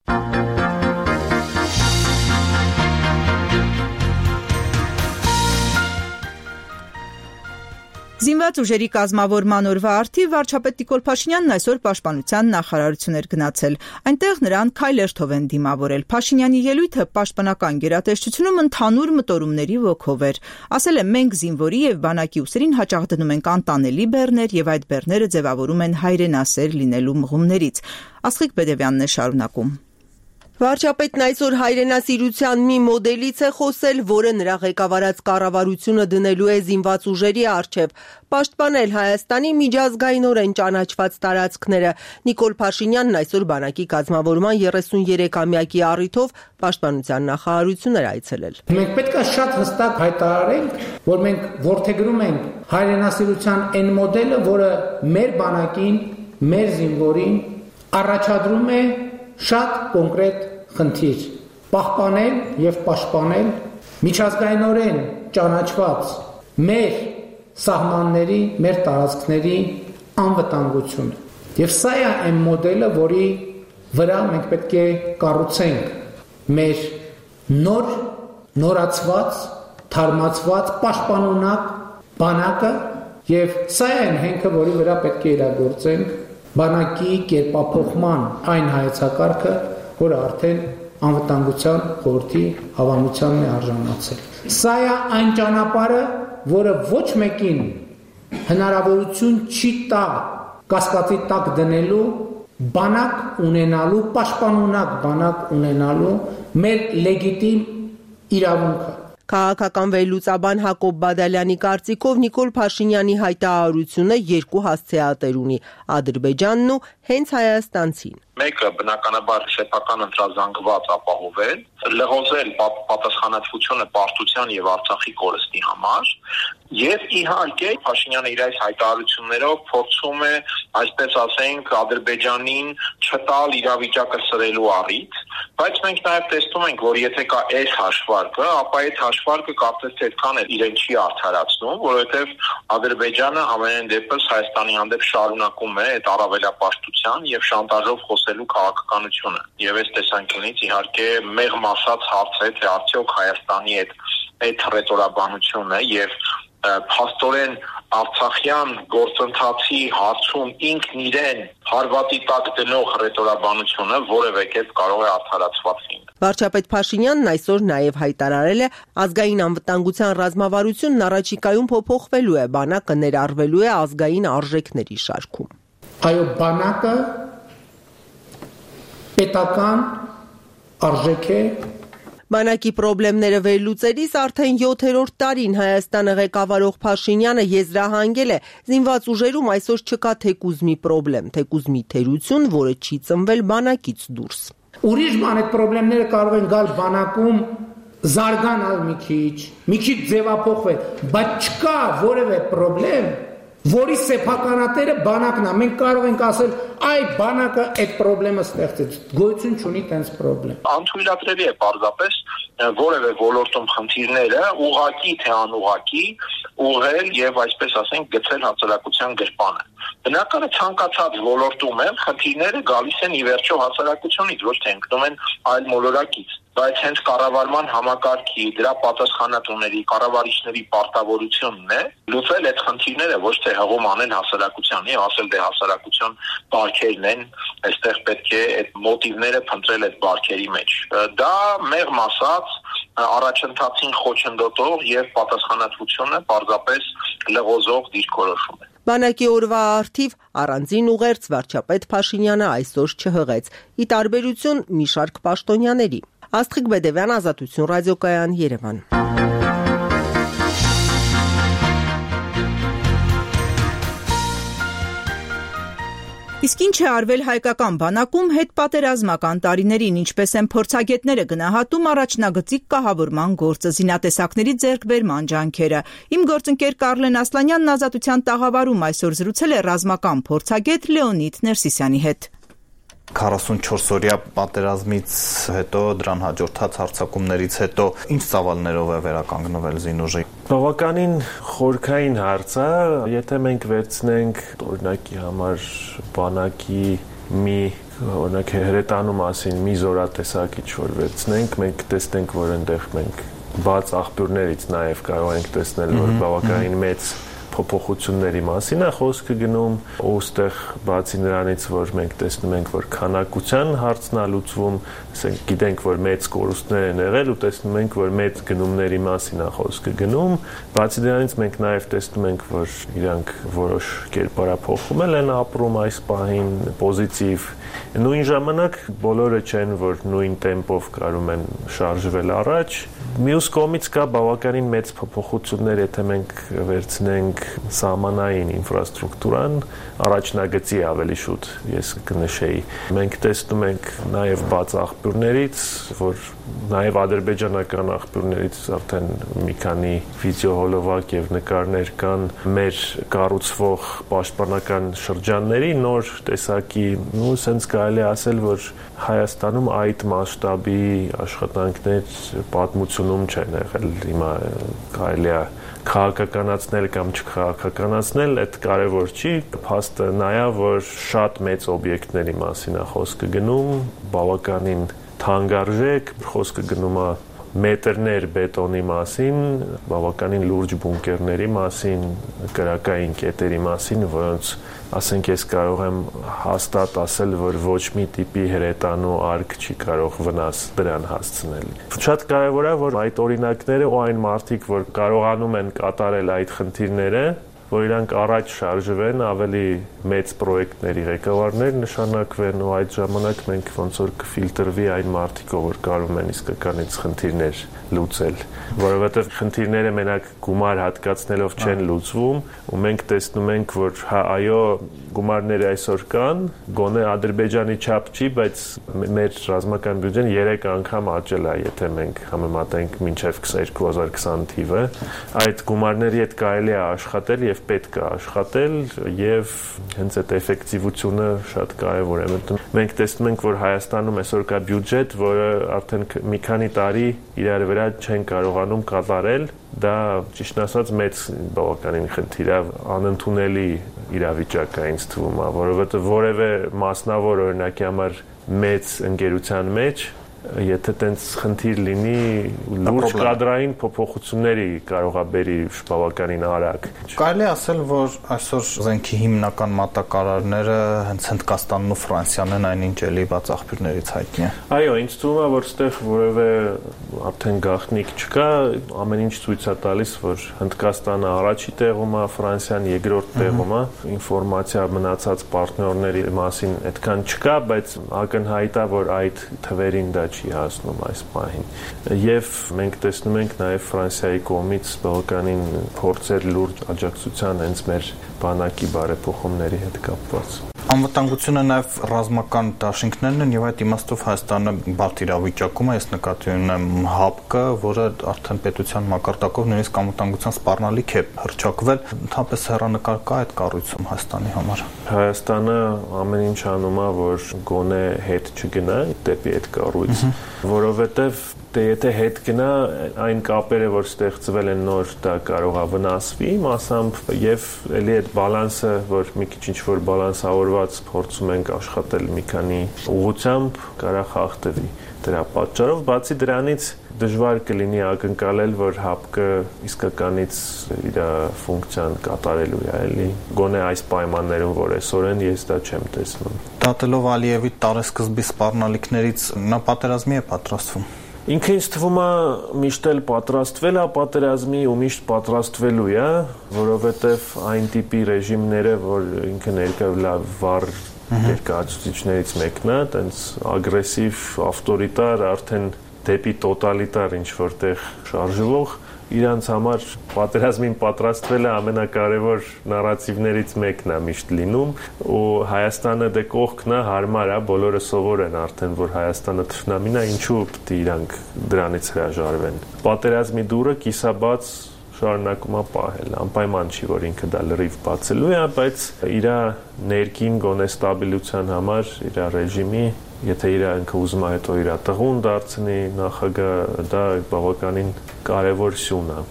Զինված ուժերի կազմավորման օրվա արդիվ վարչապետ Նիկոլ Փաշինյանն այսօր պաշտպանության նախարարություն էր գնացել։ Այնտեղ նրան քայլերթով են դիմավորել։ Փաշինյանի ելույթը պաշտպանական գերատեսչությունում ընդհանուր մտորումների ոգով էր։ Ասել է մենք զինվորի եւ բանակի ուսերին հաճախ դնում ենք անտանելի բեռներ եւ այդ բեռները ձևավորում են հայրենասեր լինելու մղումներից։ Աստղիկ Բեդևյանն է շարունակում։ Վարչապետն այսօր հայրենասիրության մի մոդելից է խոսել, որը նրա ղեկավարած կառավարությունը դնելու է զինված ուժերի առջև, պաշտպանել Հայաստանի միջազգայինորեն ճանաչված տարածքները։ Նիկոլ Փաշինյանն այսօր բանակի կազմավորման 33-ամյակի առիթով պաշտպանության նախարարություն էր այցելել։ Մենք պետք է շատ հստակ հայտարարենք, որ մենք որդեգրում ենք հայրենասիրության այն մոդելը, որը մեր բանակին, մեր զինվորին առաջադրում է շատ կոնկրետ խնդիր՝ պահպանել եւ պաշտպանել միջազգայինորեն ճանաչված մեր սահմանների, մեր տարածքների անվտանգությունը։ Եվ սա է այն մոդելը, որի վրա մենք պետք է կառուցենք մեր նորացված, թարմացված, պաշտպանունակ բանակը, եւ սա է այն հենքը, որի վրա պետք է իրագործենք բանակի կերպափոխման այն հայեցակարգը, որը արդեն անվտանգության խորհրդի հավանությանն է արժանացել։ Սա է այն ճանապարհը, որը ոչ մեկին հնարավորություն չի տա կասկածի տակ դնելու բանակ ունենալու, պաշտպանունակ բանակ ունենալու մեր լեգիտիմ իրավունքը։ Քաղաքական վերլուծաբան Հակոբ Բադալյանի կարծիքով Նիկոլ Փաշինյանի հայտարարությունը երկու հասցեատեր ունի՝ Ադրբեջանն ու հենց հայաստանցին։ Մեկը բնականաբար սեփական ընտրազանգված ապահովել, լղոզել պատասխանատվությունը պարտության եւ Արցախի կորստի համար, եւ իհարկե Փաշինյանը իր այս հայտարարություններով փորձում է, այսպես ասենք, Ադրբեջանին չտալ իրավիճակը սրելու առիթ, բայց մենք նաեւ տեսնում ենք, որ եթե կա այս հաշվարկը, ապա այդ հաշվարկը կարծես թե այդքան էլ իրեն չի արդարացնում, որովհետեւ Ադրբեջանը ամենայն դեպս Հայաստանի հանդեպ շարունակում է այդ առավելապաշտության եւ շանտաժով խոսելու քաղաքականությունը։ Եվ այս տեսանկյունից իհարկե մեղմ ասած հարց է, թե արդյոք Հայաստանի այդ ռետորաբանությունը եւ փաստորեն Արցախյան գործընթացի հարցում ինքն իրեն հարվածի տակ դնող ռետորաբանությունը որևէ կերպ կարող է արդարացված լինել։ Վարչապետ Փաշինյանն այսօր նաև հայտարարել է, ազգային անվտանգության ռազմավարությունն առաջիկայում փոփոխվելու է, բանակը ներառվելու է ազգային արժեքների շարքում։ Այո, բանակը պետական արժեք է։ Բանակի խնդիրները վերլուծելիս արդեն 7-րդ տարին Հայաստանը ղեկավարող Փաշինյանը եզրահանգել է, զինված ուժերում այսօր չկա թեկուզ մի խնդրեմ, թեկուզ մի թերություն, որը չի ծնվել բանակից դուրս։ Ուրիշ բան այդ խնդիրները կարող են գալ բանակում զարգանալ մի քիչ ձևափոխվել, բայց չկա որևէ խնդրեմ, որի սեփականատերը բանակն է։ Մենք կարող ենք ասել, այ բանակը այդ խնդրեմը ստեղծեց, գոյություն չունի տենց խնդրեմ։ Անթույլատրելի է պարզապես որևէ ոլորտում խնդիրները ուղղակի թե անուղղակի ուղղել եւ այսպես ասենք գցել հասարակության գրպանը։ Բնակարը ցանկացած ոլորտում են խնդիրները գալիս են ի վերջո հասարակությունից, ոչ թե ընկնում են այլ մոլորակից, բայց հենց կառավարման համակարգի, դրա պատասխանատուների, կառավարիչների պարտավորությունն է լուծել այդ խնդիրները, ոչ թե հղում անել հասարակությանի, ասել դե հասարակություն բարքերն են, այստեղ պետք է այդ մոտիվները փնտրել այդ բարքերի մեջ։ Դա մեղմ ասած առաջընթացին խոչընդոտող եւ պատասխանատվությունը պարզապես լղոզող դիրքորոշում է։ Բանակի օրվա առթիվ առանձին ուղերձ վարչապետ Փաշինյանը այսօր չհղեց, ի տարբերություն մի շարք պաշտոնյաների։ Աստղիկ Բեդևյան, Ազատություն ռադիոկայան, Երևան։ Իսկ ինչ է արվել հայկական բանակում հետպատերազմական տարիներին, ինչպես են փորձագետները գնահատում առաջնագծիկ կահավորման գործը, զինատեսակների ձեռքբերման ջանքերը։ Իմ գործընկեր Կարլեն Ասլանյանն Ազատության տաղավարում այսօր զրուցել է ռազմական փորձագետ Լեոնիդ Ներսիսյանի հետ։ 44-օրյա պատերազմից հետո, դրան հաջորդած հարձակումներից հետո ինչ ծավալներով է վերականգնվել զինուժը։ Բավականին խորքային հարց է, եթե մենք վերցնենք օրինակի համար բանակի օրինակ հրետանու մասին մի զորատեսակիչ որ վերցնենք, մենք տեսնենք, որ այնտեղ մենք բաց աղբյուրներից նաև կարող ենք տեսնել, որ բավականին մեծ փոփոխությունների մասին է խոսքը գնում, ուստեղ բացի նրանից, որ մենք տեսնում ենք, որ քանակության հարցն է լուծվում, ասենք գիտենք, որ մեծ կորուստներ են եղել ու տեսնում ենք, որ մեծ գնումների մասին է խոսքը գնում, բացի դրանից մենք նաև տեսնում ենք, որ իրանք որոշ կերպարափոխումել են ապրում այս պահին, պոզիտիվ, նույն ժամանակ բոլորը չեն, որ նույն տեմպով կարում են շարժվել առաջ։ Մյուս կողմից կա բավականին մեծ փոփոխություններ, եթե մենք վերցնենք սահմանային ինֆրաստրուկտուրան, առաջնագծի ավելի շուտ ես կնշեի։ Մենք տեսնում ենք նաև բաց աղբյուրներից, որ նաև ադրբեջանական աղբյուրներից արդեն մի քանի վիդեոհոլովակ եւ նկարներ կան մեր կառուցվող պաշտպանական շրջանների նոր տեսակի, սենց կարելի է ասել, որ Հայաստանում այդ մասշտաբի աշխատանքներ պատմությունում չեն եղել։ Հիմա կարելի է քաղաքականացնել կամ չքաղաքականացնել, այդ կարևոր չի, փաստը նա է, որ շատ մեծ օբյեկտների մասին է խոսքը գնում, բավականին թանկարժեք, խոսքը գնում է մետրներ բետոնի մասին, բավականին լուրջ բունկերների մասին, կրակային կետերի մասին, որոնց ասենք ես կարող եմ հաստատ ասել, որ ոչ մի տիպի հրետանու արկ չի կարող վնաս դրան հասցնել։ Շատ կարևոր է, որ այդ օրինակները ու այն մարդիկ, որ կարողանում են կատարել այդ խնդիրները, որ իրանք առաջ շարժվեն, ավելի մեծ պրոյեկտների ղեկավարներ նշանակվեն ու այդ ժամանակ մենք ոնց որ կֆիլտրվի այն մարդիկ, որ կարող են իսկականից խնդիրներ լուծել, որովհետև խնդիրները մենակ գումար հատկացնելով չեն լուծվում, ու մենք տեսնում ենք, որ հա այո, գումարները այսօր կան, գոնե Ադրբեջանի չափ չի, բայց մեր ռազմական բյուջեն 3 անգամ աճել է, եթե մենք համեմատենք մինչև 2020 թիվը, այդ գումարների հետ կարելի է աշխատել եւ պետք է աշխատել եւ հենց այդ էֆեկտիվությունը շատ կարեւոր է։ Մենք տեսնում ենք, որ Հայաստանում այսօր կա բյուջետ, որը արդեն մի քանի տարի իրար վրա չեն կարողանում կատարել, դա ճիշտ ասած մեծ բավականին խնդիր է, անընդունելի իրավիճակ է ինձ թվում, որովհետեւ որևէ մասնավոր օրինակի համար մեծ ընկերության մեջ եթե տենց խնդիր լինի, լուրջ կադրային փոփոխությունների կարող է բերի բավականին արագ։ Կարելի ասել, որ այսօր զենքի հիմնական մատակարարները հենց Հնդկաստանն ու Ֆրանսիան են, այնինչ էլի բաց աղբյուրներից հայտնի է։ Այո, ինձ թվում է, որ այդտեղ որևէ արդեն գաղտնիք չկա, ամեն ինչ ցույց է տալիս, որ Հնդկաստանը առաջի տեղում է, Ֆրանսիան երկրորդ տեղում է, ինֆորմացիա մնացած պարտներների մասին այդքան չկա, բայց ակնհայտ է, որ այդ թվերին դա չի հասնում այս պահին։ Եվ մենք տեսնում ենք նաև Ֆրանսիայի կողմից բավականին փորձեր լուրջ աջակցության հենց մեր բանակի բարեփոխումների հետ կապված։ Անվտանգությունը նաև ռազմական դաշինքներն են եւ այդ իմաստով Հայաստանը բարդ իրավիճակում է, ես նկատի ունեմ ՀԱՊԿ-ը, որը արդեն պետության մակարդակով նույնիսկ անվտանգության սպառնալիք է հռչակվել, ընդհանրապես հեռանկար կա այդ կառույցում Հայաստանի համար։ Հայաստանը ամեն ինչ անում է, որ գոնե հետ չգնա դեպի այդ կառույց, որովհետեւ եթե հետ գնա այն կապերը, որ ստեղծվել են նոր, դա կարող է վնասվի մասամբ եւ ելի այդ բալանսը, որ մի քիչ ինչ-որ բալանսավորված փորձում ենք աշխատել մի քանի ուղղությամբ, կարող խախտվի դրա պատճառով, բացի դրանից դժվար կլինի ակնկալել, որ ՀԱՊԿ-ը իսկականից իր ֆունկցիան կատարելու է, էլի գոնե այս պայմաններում, որ այսօր են, ես դա չեմ տեսնում։ Դատելով Ալիևի տարեսկզբի սպառնալիքներից նա պատերազմի է պատրաստվում։ Ինքը ինձ թվում է միշտ էլ պատրաստվել է պատերազմի ու միշտ պատրաստվելու է, որովհետև այն տիպի ռեժիմները, որ ինքը ներկայացել վառ ներկայացուցիչներից մեկն է, տենց ագրեսիվ, ավտորիտար, արդեն դեպի տոտալիտար ինչ-որտեղ շարժվող, իրանց համար պատերազմին պատրաստվելը ամենակարևոր նարատիվներից մեկն է միշտ լինում ու Հայաստանը դե կողքն է, հարմար է, բոլորը սովոր են արդեն, որ Հայաստանը թշնամին է, ինչու պետք է իրանք դրանից հրաժարվեն։ Պատերազմի դուրը կիսաբաց շարունակում է պահել, անպայման չի, որ ինքը դա լրիվ բացելու է, բայց իր ներքին գոնե ստաբիլության համար, իր ռեժիմի, եթե ինքը ուզում է հետո իր տղուն դարձնի նախագահ, դա բավականին կարևոր սյուն է։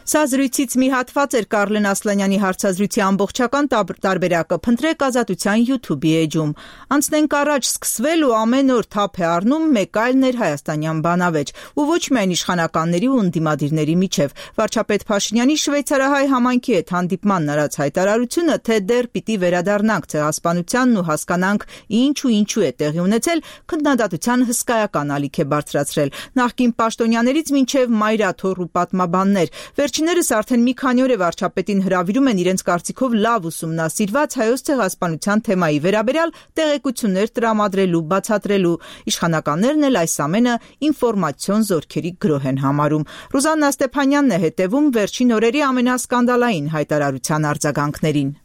Սա զրույցից մի հատված էր Կարլեն Ասլանյանի հարցազրույցի ամբողջական տարբերակը փնտրեք Ազատության YouTube-ի էջում։ Անցնենք առաջ, սկսվել ու ամեն օր թափ է առնում մեկ այլ ներհայաստանյան բանավեճ, ու ոչ միայն իշխանականների ու ընդդիմադիրների միջև։ Վարչապետ Փաշինյանի շվեյցարահայ համայնքի հետ հանդիպմանն արած հայտարարությունը, թե դեռ պիտի վերադառնանք ցեղասպանությանն ու հասկանանք ինչու է տեղի ունեցել, քննադատության հսկայական ալիք է բարձրացրել։ Նախկին պաշտոնյաներից մինչև մայրաթոռ ու պատմաբաններ, Վերջիններս արդեն մի քանի օր է վարչապետին հրավիրում են իրենց կարծիքով լավ ուսումնասիրված հայոց ցեղասպանության թեմայի վերաբերյալ տեղեկություններ տրամադրելու, բացատրելու։ Իշխանականներն էլ այս ամենը ինֆորմացիոն զորքերի գրոհ են համարում։ Ռուզաննա Ստեփանյանն է հետևում վերջին օրերի ամենասկանդալային հայտարարության արձագանքներին։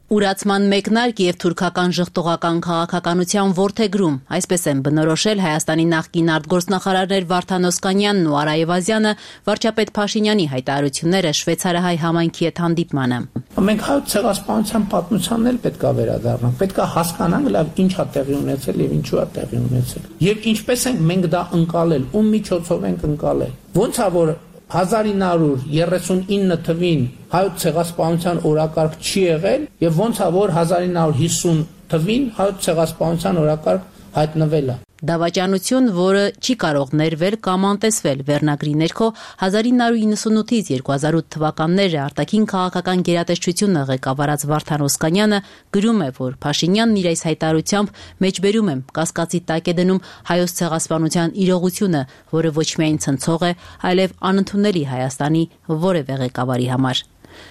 Ուրացման մեկնարկ եւ թուրքական ժխտողական քաղաքականության ворթեգրում, այսպես են բնորոշել Հայաստանի նախկին արտգործնախարարներ Վարդան Օսկանյանն ու Արա Եվազյանը վարչապետ Փաշինյանի հայտարարությունները շվեյցարահայ համայնքի հետ հանդիպմանը։ Մենք հայոց ցեղասպանության պատմությանն էլ պետք է վերադառնանք, պետք է հասկանանք լավ ինչ է տեղի ունեցել եւ ինչու է տեղի ունեցել։ Եվ ինչպես ենք մենք դա ընկալել, ում միջոցով ենք ընկալել։ Ոնց է որ 1939 թվին հայոց ցեղասպանության օրակարգ չի եղել եւ ոնց է որ 1950 թվին հայոց ցեղասպանության օրակարգ հայտնվել է։ Դավաճանություն, որը չի կարող ներվել կամ անտեսվել վերնագրի ներքո 1998-ից 2008 թվականները արտաքին քաղաքական գերատեսչությունը ղեկավարած Վարդան Օսկանյանը գրում է, որ Փաշինյանն իր այս հայտարարությամբ մեջբերում եմ կասկածի տակ է դնում հայոց ցեղասպանության իրողությունը, որը ոչ միայն ցնցող է, այլև անընդունելի Հայաստանի որևէ ղեկավարի համար։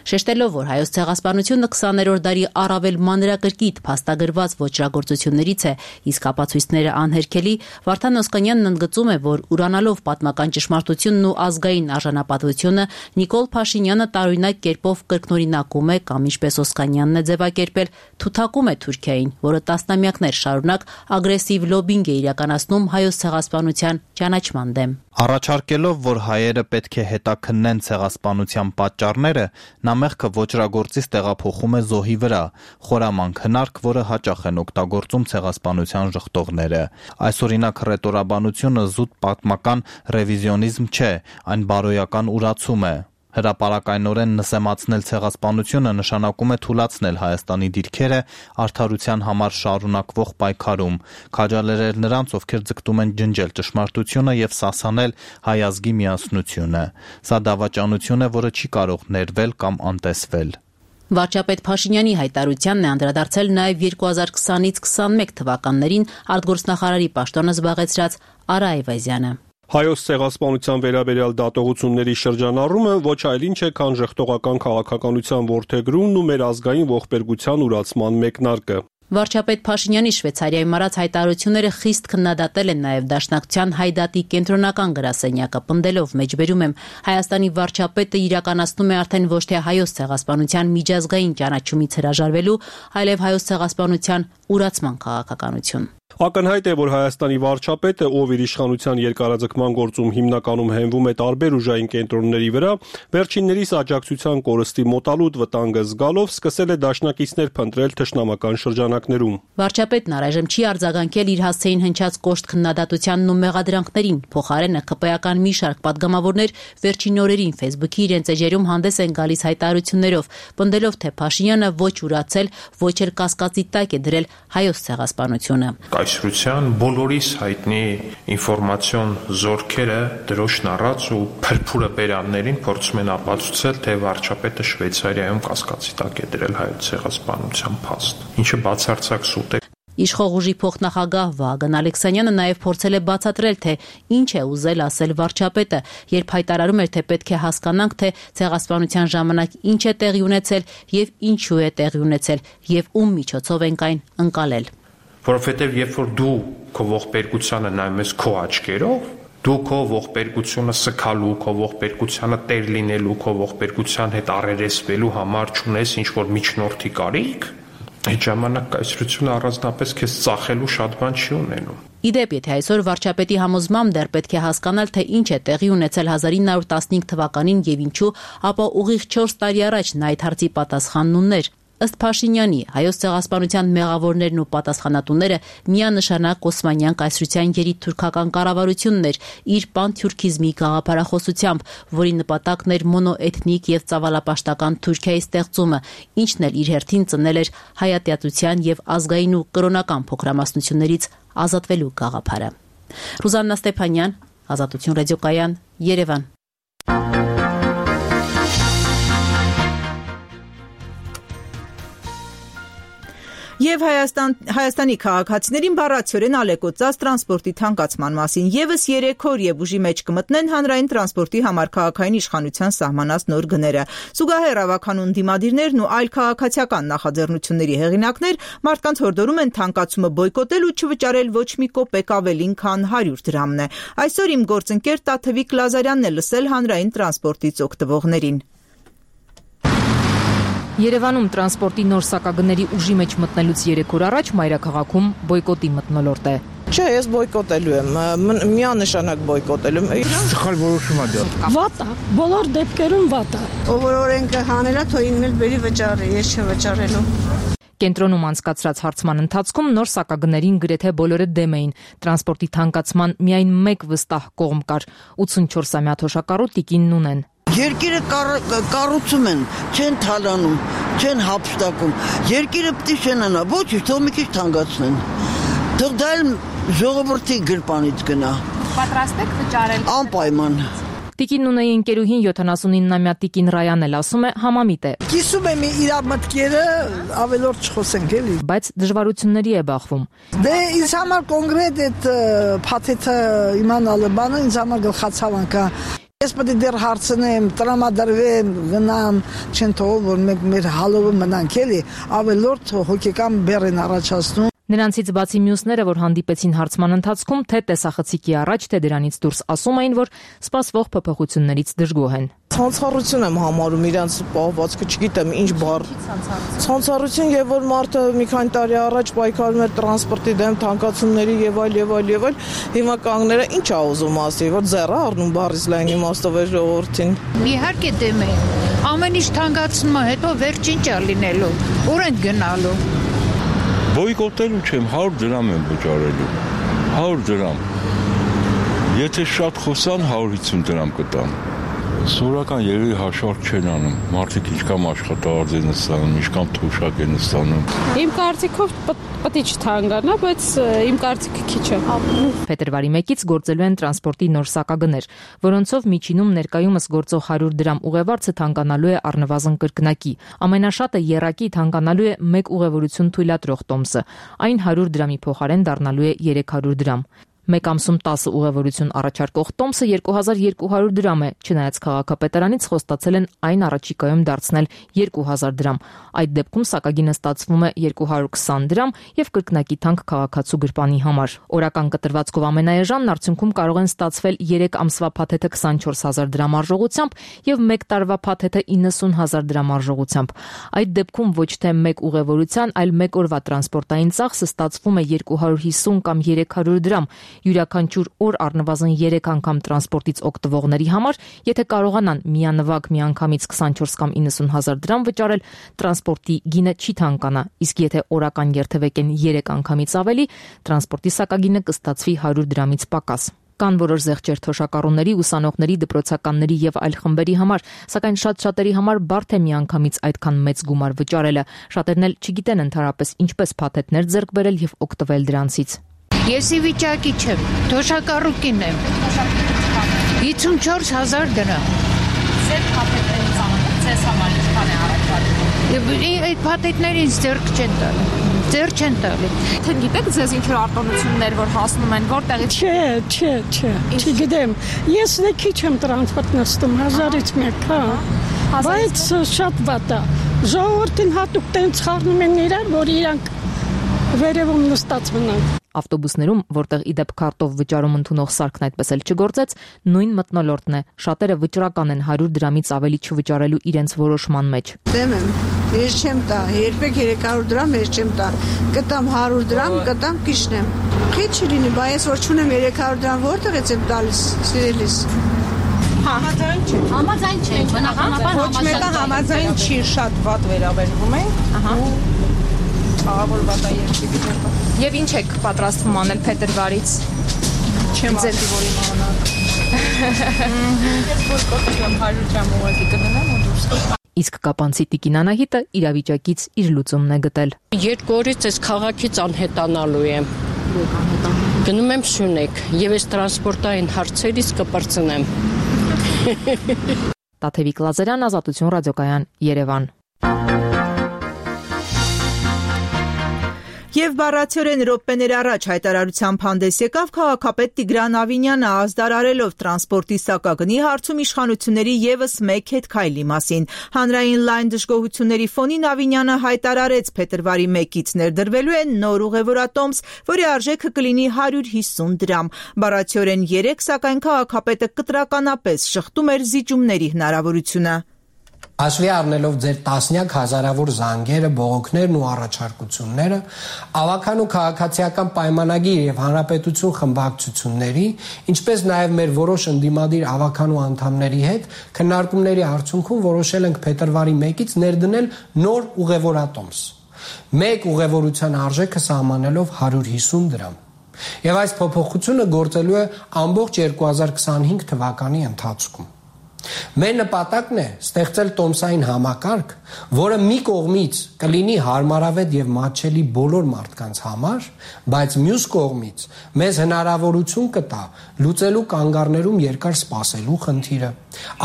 Շեշտելով, որ հայոց ցեղասպանությունը 20-րդ դարի առավել մանրակրկիտ փաստագրված ոճրագործություններից է, իսկ ապացույցները անհերքելի, Վարդան Օսկանյանն ընդգծում է, որ ուրանալով պատմական ճշմարտությունն ու ազգային արժանապատվությունը Նիկոլ Փաշինյանը տարօրինակ կերպով կրկնօրինակում է կամ ինչպես Օսկանյանն է ձևակերպել, թութակում է Թուրքիային, որը տասնամյակներ շարունակ ագրեսիվ լոբինգ է իրականացնում հայոց ցեղասպանության ճանաչման դեմ։ Առաջարկելով, որ հայերը պետք է հետաքննեն ցեղասպանության պատճառները, նա մեղքը ոճրագործից տեղափոխում է զոհի վրա, խորամանկ հնարք, որը հաճախ են օգտագործում ցեղասպանության ժխտողները։ Այսօրինակ հռետորաբանությունը զուտ պատմական ռևիզիոնիզմ չէ, այն բարոյական ուրացում է։ Հրապարակայնորեն նսեմացնել ցեղասպանությունը նշանակում է թուլացնել Հայաստանի դիրքերը արդարության համար շարունակվող պայքարում, քաջալերել նրանց, ովքեր ձգտում են ջնջել ճշմարտությունը եւ սասանել հայ ազգի միասնությունը։ Սա դավաճանություն է, որը չի կարող ներվել կամ անտեսվել։ Վարչապետ Փաշինյանի հայտարարությանն է անդրադարձել նաև 2020-ից 21 թվականներին արտգործնախարարի պաշտոնը զբաղեցրած Արա Այվազյանը։ Հայոց ցեղասպանության վերաբերյալ դատողությունների շրջանառումը ոչ այլ ինչ է, քան ժխտողական քաղաքականության որդեգրումն ու մեր ազգային ողբերգության ուրացման մեկնարկը։ Վարչապետ Փաշինյանի Շվեյցարիայում արած հայտարարությունները խիստ քննադատել են նաև Դաշնակցության Հայդատի կենտրոնական գրասենյակը, պնդելով մեջբերում եմ Հայաստանի վարչապետը իրականացնում է արդեն ոչ թե հայոց ցեղասպանության միջազգային ճանաչումից հրաժարվելու, այլև հայոց ցեղասպանության ուրացման քաղաքականություն։ Ակնհայտ է, որ Հայաստանի վարչապետը, ով իր իշխանության երկարաձգման գործում հիմնականում հենվում է տարբեր ուժային կենտրոնների վրա, վերջիններիս աջակցության կորստի մոտալուտ վտանգը զգալով սկսել է դաշնակիցներ փնտրել թշնամական շրջանակներում։ Վարչապետն առայժմ չի արձագանքել իր հասցեին հնչած կոշտ քննադատությանն ու մեղադրանքներին, փոխարենը ԿՊ-ական մի շարք պատգամավորներ վերջին օրերին Facebook-ի իրենց էջերում հանդես են գալիս հայտարարություններով, պնդելով, թե Փաշինյանը ոչ ուրացել, ոչ էլ կասկածի տակ է դրել հայոց ցեղասպանությունը։ Կայսրության բոլորիս հայտնի ինֆորմացիոն զորքերը դրոշն առած ու փրփուրը բերաններին փորձում են ապացուցել, թե վարչապետը Շվեյցարիայում կասկածի տակ է դրել հայոց ցեղասպանության փաստ, ինչը բացարձակ սուտ է։ Իշխող ուժի փոխնախագահ Վահագն Ալեքսանյանը նաև փորձել է բացատրել, թե ինչ է ուզել ասել վարչապետը, երբ հայտարարում էր, թե պետք է հասկանանք, թե ցեղասպանության ժամանակ ինչ է տեղի ունեցել եւ ինչու է տեղի ունեցել եւ ում միջոցով ենք այն ընկալել։ Որովհետև երբ որ դու քո ողբերգությանը նայում ես քո աչքերով, դու քո ողբերգությունը սքալու, քո ողբերգությանը տեր լինելու, քո ողբերգության հետ առերեսվելու համար չունես ինչ-որ միջնորդի կարիք, այդ ժամանակ կայսրությունը առանձնապես քեզ ծախելու շատ բան չի ունենում։ Իդեպ, եթե այսօր վարչապետի համոզմամբ դեռ պետք է հասկանալ, թե ինչ է տեղի ունեցել 1915 թվականին եւ ինչու, ապա ուղիղ 4 տարի առաջ նա այդ հարցի պատասխանն ուներ։ Ըստ Փաշինյանի, հայոց ցեղասպանության մեղավորներն ու պատասխանատուները միանշանակ Օսմանյան կայսրության երիտթուրքական կառավարությունն էր իր պանթյուրքիզմի գաղափարախոսությամբ, որի նպատակն էր մոնոէթնիկ եւ ծավալապաշտական Թուրքիայի ստեղծումը, ինչն էլ իր հերթին ծնել էր հայատյացության եւ ազգային ու կրոնական փոքրամասնություններից ազատվելու գաղափարը։ Ռուզաննա Ստեփանյան, Ազատություն ռադիոկայան, Երևան։ Եվ Հայաստանի քաղաքացիներին բառացիորեն ալեկոծած տրանսպորտի թանկացման մասին եւս 3 օր եւ ուժի մեջ կմտնեն հանրային տրանսպորտի համար քաղաքային իշխանության սահմանած նոր գները։ Զուգահեռ ավականուն դիմադիրներն ու այլ քաղաքացիական նախաձեռնությունների հեղինակներ մարդկանց հորդորում են թանկացումը բոյկոտել ու չվճարել ոչ մի կոպեկ ավելին, քան 100 դրամն է։ Այսօր իմ գործընկեր Տաթևիկ Լազարյանն է լսել հանրային տրանսպորտից օգտվողներին։ Երևանում տրանսպորտի նոր սակագների ուժի մեջ մտնելուց 3 օր առաջ մայրաքաղաքում բոյկոտի մթնոլորտ է։ Չէ, ես բոյկոտելու եմ, միանշանակ բոյկոտելու եմ։ Սխալ որոշում է դա։ Վատ է, բոլոր դեպքերում վատ է։ Ով որ օրենքը հանելա, թող ինքն բերի վճարի, ես չվճարելու։ Կենտրոնում անցկացրած հարցման ընթացքում նոր սակագներին գրեթե բոլորը դեմ էին։ Տրանսպորտի թանկացման միայն մեկ վստահ կողմ կար՝ 84-ամյա թոշակառու Տիկին Նունեն։ Երկիրը կառուցում են, չեն թալանում, չեն հափշտակում։ Երկիրը պետք է շենանա, ոչ, թող մի քիչ թանկացնեն։ Թող դա էլ Ժողովրդի գրպանից գնա։ Պատրաստ եք վճարել։ Անպայման։ Տիկին Նունեի ընկերուհին 79-ամյա Տիկին Ռայանն էլ ասում է համամիտ է։ Կիսում եմ իր մտքերը, ավելորդ չխոսենք էլի։ Բայց դժվարությունների է բախվում։ Դե ինձ համար կոնկրետ այդ փաթեթը իմանալը բանը ինձ համար գլխացավանք է։ Ես պետք է դեռ հարցնեմ, տրամադրվեմ, գնամ, չեն թողում, որ մենք մեր հալովը մնանք էլի, ավելորդ հոգեկան բեռ են առաջացնում։ Նրանցից բացի մյուսները, որ հանդիպեցին հարցման ընթացքում, թե տեսախցիկի առաջ, թե դրանից դուրս ասում էին, որ սպասվող փոփոխություններից դժգոհ են։ Ցանցառություն եմ համարում իրանց պահվածքը, չգիտեմ ինչ բառ։ Ցանցառություն եւ որ մարդը մի քանի տարի առաջ պայքարում էր տրանսպորտի դեմ, թանկացումների եւ այլ։ Հիմա կանգները ինչ ա ուզում ասի, որ ձեռը առնում բառից լայն իմաստով է ժողովրդին։ Իհարկե դեմ է։ Ամեն ինչ թանկացնում է, հետո վերջին ճա լինելու։ Ուր են գնալու։ Բոյկոտելու չեմ, 100 դրամ եմ վճարելու, 100 դրամ, եթե շատ խոսան 150 դրամ կտան, սորական երևի հաշվարկ չեն անում, մարդիկ ինչքան աշխատավարձ են ստանում, ինչքան թոշակ են ստանում։ Իմ կարծիքով պետք է չթանկանա, բայց իմ կարծիքը քիչ է։ Փետրվարի 1-ից գործելու են տրանսպորտի նոր սակագներ, որոնցով միջինում ներկայումս գործող 100 դրամ ուղևորցը թանկանալու է առնվազն կրկնակի։ Ամենաշատը եռակի թանկանալու է 1 ուղևորություն թույլատրող տոմսը, այն 100 դրամի փոխարեն դառնալու է 300 դրամ։ Մեկ ամսում 10 ուղևորություն առաջարկող տոմսը 2200 դրամ է, չնայած քաղաքապետարանից խոստացել են այն առաջիկայում դարձնել 2000 դրամ։ Այդ դեպքում սակագինը ստացվում է 220 դրամ եւ կրկնակի թանկ քաղաքացու գրպանի համար։ Օրական կտրվածքով ամենաեժանն արդյունքում կարող են ստացվել 3 ամսվա փաթեթը 24000 դրամ արժողությամբ եւ 1 տարվա փաթեթը 90000 դրամ արժողությամբ։ Այդ դեպքում ոչ թե 1 ուղևորության, այլ 1 օրվա տրանսպորտային ծախսը ստացվում է 250 կամ 300 դրամ։ Յուրաքանչյուր օր առնվազն 3 անգամ տրանսպորտից օգտվողների համար, եթե կարողանան միանվագ միանգամից 24 կամ 90000 դրամ վճարել, տրանսպորտի գինը չի թանկանա, իսկ եթե օրական երթևեկեն 3 անգամից ավելի, տրանսպորտի սակագինը կստացվի 100 դրամից պակաս։ Կան որոշ զեղչեր թոշակառուների, ուսանողների, դպրոցականների եւ այլ խմբերի համար, սակայն շատերի համար բարդ է միանգամից այդքան մեծ գումար վճարելը։ Շատերն էլ չգիտեն ընդհանրապես ինչպես փաթեթներ ձեռք բերել եւ օգտվել դրանցից։ Ես ի վիճակի չեմ, թոշակառուկին եմ։ 54000 դրամ։ Ձեր փաթեթների ծանոթ, ձեզ համար ինչքան է առաջարկվում։ Այդ փաթեթներին ձեռք չեն տալի։ Ձեռք չեն տալի։ Թե գիտեք ձեզ ինչ որ արտոնություններ որ հասնում են, որտեղից։ Չէ, չգիտեմ։ Ես քիչ եմ տրանսպորտ նստում 1000-ից 1, հա։ Բայց շատ վատ է։ Ժողովրդին հատուկ տենց խառնում են իրար, որ իրանք վերևում նստած մնան։ Ավտոբուսներում, որտեղ իդեպ քարտով վճարում ընդունող սարքն այդպես էլ չգործեց, նույն մթնոլորտն է։ Շատերը վճռական են 100 դրամից ավելի չվճարելու իրենց որոշման մեջ։ Դեմ եմ, ես չեմ տա, երբեք 300 դրամ ես չեմ տա։ Կտամ 100 դրամ, կտամ կիշնեմ։ Քիչ լինի, բայց ես որ չունեմ 300 դրամ որտեղից եմ տալիս, սիրելիս։ Համաձայն չէ, բնականաբար ոչ մեկը համաձայն չի, շատ վատ վերաբերվում են։ Ահա վատա երկրի Եվ ինչ եք պատրաստվում անել փետրվարից։ Չեմ ասի, որ իմանալ։ Ես բոյկոտ եմ 100 դրամ ուղղակի կդնեմ ու դուրս։ Իսկ կապանցի Տիկին Անահիտը իր վիճակից իր լուծումն է գտել։ 2 օրից այս քաղաքից անհետանալու եմ։ Գնում եմ Սյունեկ եւ այս տրանսպորտային հարցերից կպրծնեմ։ Տաթևիկ Լազարյան, Ազատություն ռադիոկայան, Երևան։ Եվ բառացիորեն րոպեներ առաջ հայտարարությամբ հանդես եկավ քաղաքապետ Տիգրան Ավինյանը, ազդարարելով տրանսպորտի սակագնի հարցում իշխանությունների ևս մեկ հետքայլի մասին։ Հանրային լայն դժգոհությունների ֆոնին Ավինյանը հայտարարեց փետրվարի 1-ից ներդրվելու է նոր ուղևորատոմս, որի արժեքը կլինի 150 դրամ։ Բառացիորեն 3, սակայն քաղաքապետը կտրականապես շղթում էր զիջումների հնարավորությունը։ Հաշվի առնելով ձեր տասնյակ հազարավոր զանգերը, բողոքներն ու առաջարկությունները, ավագան ու քաղաքացիական պայմանագիր եւ հանրապետություն խմբակցությունների, ինչպես նաեւ մեր որոշ ընդդիմադիր ավագան ու անդամների հետ քննարկումների արդյունքում որոշել ենք փետրվարի 1-ից ներդնել նոր ուղևորատոմս։ Մեկ ուղևորության արժեքը սահմանելով 150 դրամ։ Եվ այս փոփոխությունը գործելու է ամբողջ 2025 թվականի ընթացքում։ Մեր նպատակն է ստեղծել տոմսային համակարգ, որը մի կողմից կլինի հարմարավետ եւ մատչելի բոլոր մարդկանց համար, բայց մյուս կողմից մեզ հնարավորություն կտա լուծելու կանգառներում երկար սպասելու խնդիրը,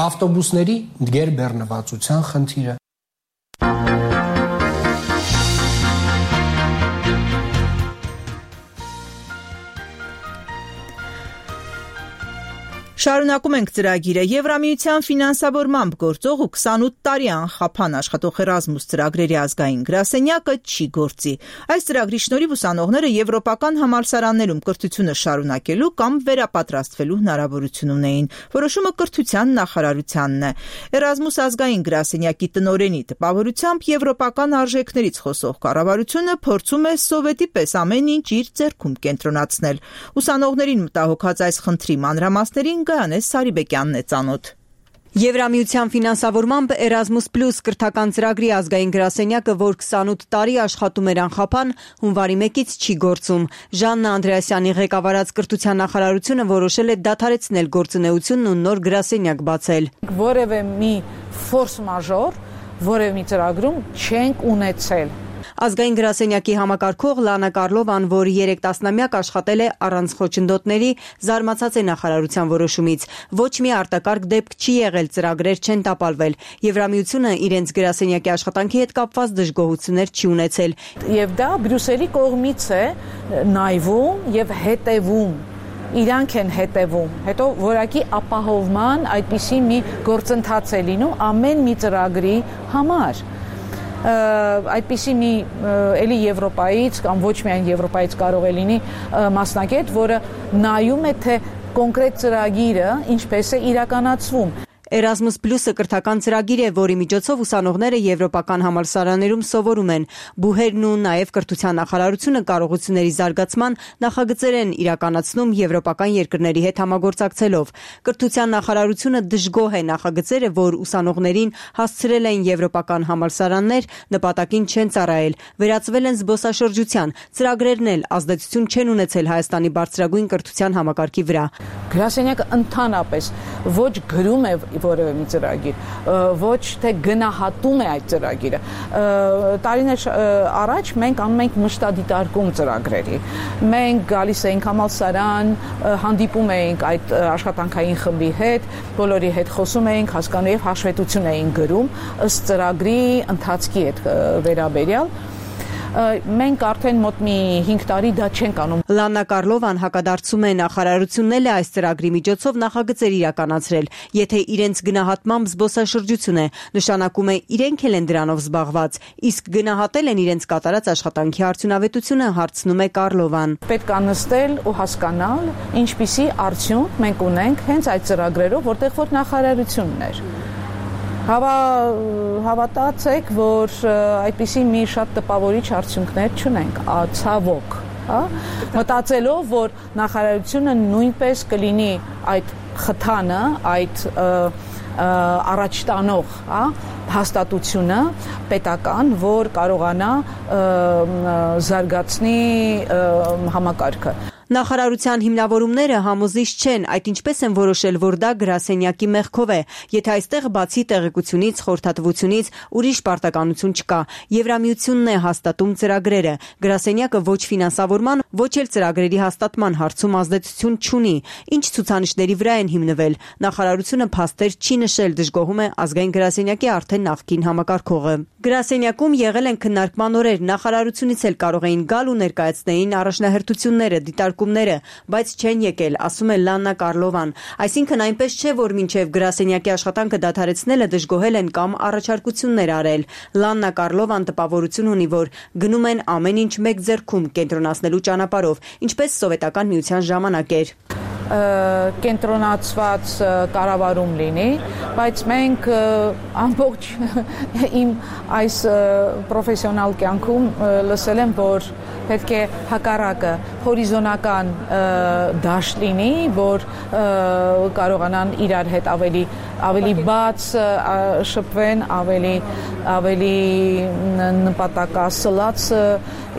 ավտոբուսների գերբեռնվածության խնդիրը։ Շարունակում ենք ծրագիրը։ Եվրամիության ֆինանսավորմամբ գործող ու 28 տարի անխափան աշխատող Էրազմուս ծրագրերի ազգային գրասենյակը չի գործի։ Այս ծրագրի շնորհիվ ուսանողները եվրոպական համալսարաններում կրթությունը շարունակելու կամ վերապատրաստվելու հնարավորություն ունեին։ Որոշումը կրթության նախարարությանն է։ Էրազմուս ազգային գրասենյակի տնօրենի տպավորությամբ եվրոպական արժեքներից խոսող կառավարությունը փորձում է սովետի պես ամեն ինչ իր ձեռքում կենտրոնացնել։ Ուսանողներին մտահոգած այս խնդրի մանրամասներին Գայանե Սարիբեկյանն է ծանոթ։ Եվրամիության ֆինանսավորմամբ Erasmus Plus կրթական ծրագրի ազգային գրասենյակը, որ 28 տարի աշխատում էր անխափան, հունվարի 1-ից չի գործում։ Ժաննա Անդրեասյանի ղեկավարած կրթության նախարարությունը որոշել է դադարեցնել գործունեությունն ու նոր գրասենյակ բացել։ Որևէ մի ֆորս մաժոր, որևէ մի ծրագրում չենք ունեցել։ Ազգային գրասենյակի համակարգող Լանա Կարլովան, որ 3 տասնամյակ աշխատել է առանց խոչընդոտների, զարմացած է նախարարության որոշումից։ Ոչ մի արտակարգ դեպք չի եղել, ծրագրեր չեն տապալվել։ Եվրամիությունը իրենց գրասենյակի աշխատանքի հետ կապված դժգոհություններ չի ունեցել։ Եվ դա Բրյուսելի կողմից է նայվում եւ հետևում։ Իրանք են հետևում, հետո որակի ապահովման այդպիսի մի գործընթաց է լինում ամեն մի ծրագրի համար։ Այդպիսի մի էլի Եվրոպայից կամ ոչ միայն Եվրոպայից կարող է լինի մասնագետ, որը նայում է, թե կոնկրետ ծրագիրը ինչպես է իրականացվում։ Erasmus Plus-ը կրթական ծրագիր է, որի միջոցով ուսանողները եվրոպական համալսարաններում սովորում են։ Բուհերն ու նաև կրթության նախարարությունը կարողությունների զարգացման նախագծեր են իրականացնում եվրոպական երկրների հետ համագործակցելով։ Կրթության նախարարությունը դժգոհ է նախագծերը, որ ուսանողներին հասցրել են եվրոպական համալսարաններ, նպատակին չեն ծառայել, վերածվել են զբոսաշրջության, ծրագրերն էլ ազդեցություն չեն ունեցել Հայաստանի բարձրագույն կրթության համակարգի վրա։ Գրասենյակը ընդհանրապես ոչ գրում է որևէ մի ծրագիր, ոչ թե գնահատում է այդ ծրագիրը։ Տարիներ առաջ մենք անում ենք մշտադիտարկում ծրագրերի։ Մենք գալիս էինք համալսարան, հանդիպում էինք այդ աշխատանքային խմբի հետ, բոլորի հետ խոսում էինք, հասկանում եւ հաշվետվություն էինք գրում ըստ ծրագրի ընթացքի հետ վերաբերյալ։ Մենք արդեն մոտ մի 5 տարի դա չենք անում։ Լանա Կարլովան հակադարձում է նախարարությունն էլ այս ծրագրի միջոցով նախագծեր իրականացրել, եթե իրենց գնահատմամբ զբոսաշրջություն է, նշանակում է իրենք էլ են դրանով զբաղված, իսկ գնահատել են իրենց կատարած աշխատանքի արդյունավետությունը, հարցնում է Կարլովան։ Պետք է նստել ու հասկանալ, ինչպիսի արդյունք մենք ունենք հենց այդ ծրագրերով, որտեղ որ նախարարությունն էր։ Հավատացեք, որ այդպիսի մի շատ տպավորիչ արդյունքներ չունենք, ցավոք, մտածելով, որ նախարարությունը նույնպես կլինի այդ խթանը, այդ առաջ տանող հաստատությունը պետական, որ կարողանա զարգացնի համակարգը։ Նախարարության հիմնավորումները համոզիչ չեն, այդ ինչպես են որոշել, որ դա գրասենյակի մեղքով է, եթե այստեղ բացի տեղեկությունից, խորհրդատվությունից ուրիշ պարտականություն չկա։ Եվրամիությունն է հաստատում ծրագրերը։ Գրասենյակը ոչ ֆինանսավորման, ոչ էլ ծրագրերի հաստատման հարցում ազդեցություն չունի։ Ինչ ցուցանիշների վրա են հիմնվել։ Նախարարությունը փաստեր չի նշել, դժգոհում է ազգային գրասենյակի արդեն նախկին համակարգողը։ Գրասենյակում եղել են քննարկման օրեր, նախարարությունից էլ կարող էին գալ ու ներկայացնեին առաջնահերթությունները, դիտարկումները, բայց չեն եկել, ասում է Լանա Կարլովան։ Այսինքն այնպես չէ, որ մինչև գրասենյակի աշխատանքը դադարեցնելը դժգոհել են կամ առաջարկություններ արել։ Լանա Կարլովան տպավորություն ունի, որ գնում են ամեն ինչ մեկ ձեռքում կենտրոնացնելու ճանապարհով, ինչպես սովետական միության ժամանակ էր։ Կենտրոնացված կառավարում լինի, բայց մենք ամբողջ իմ այս պրոֆեսիոնալ կյանքում լսել եմ, որ պետք է հակառակը հորիզոնական դաշտ լինի, որ կարողանան իրար հետ ավելի բաց շփվեն, ավելի նպատակասլաց,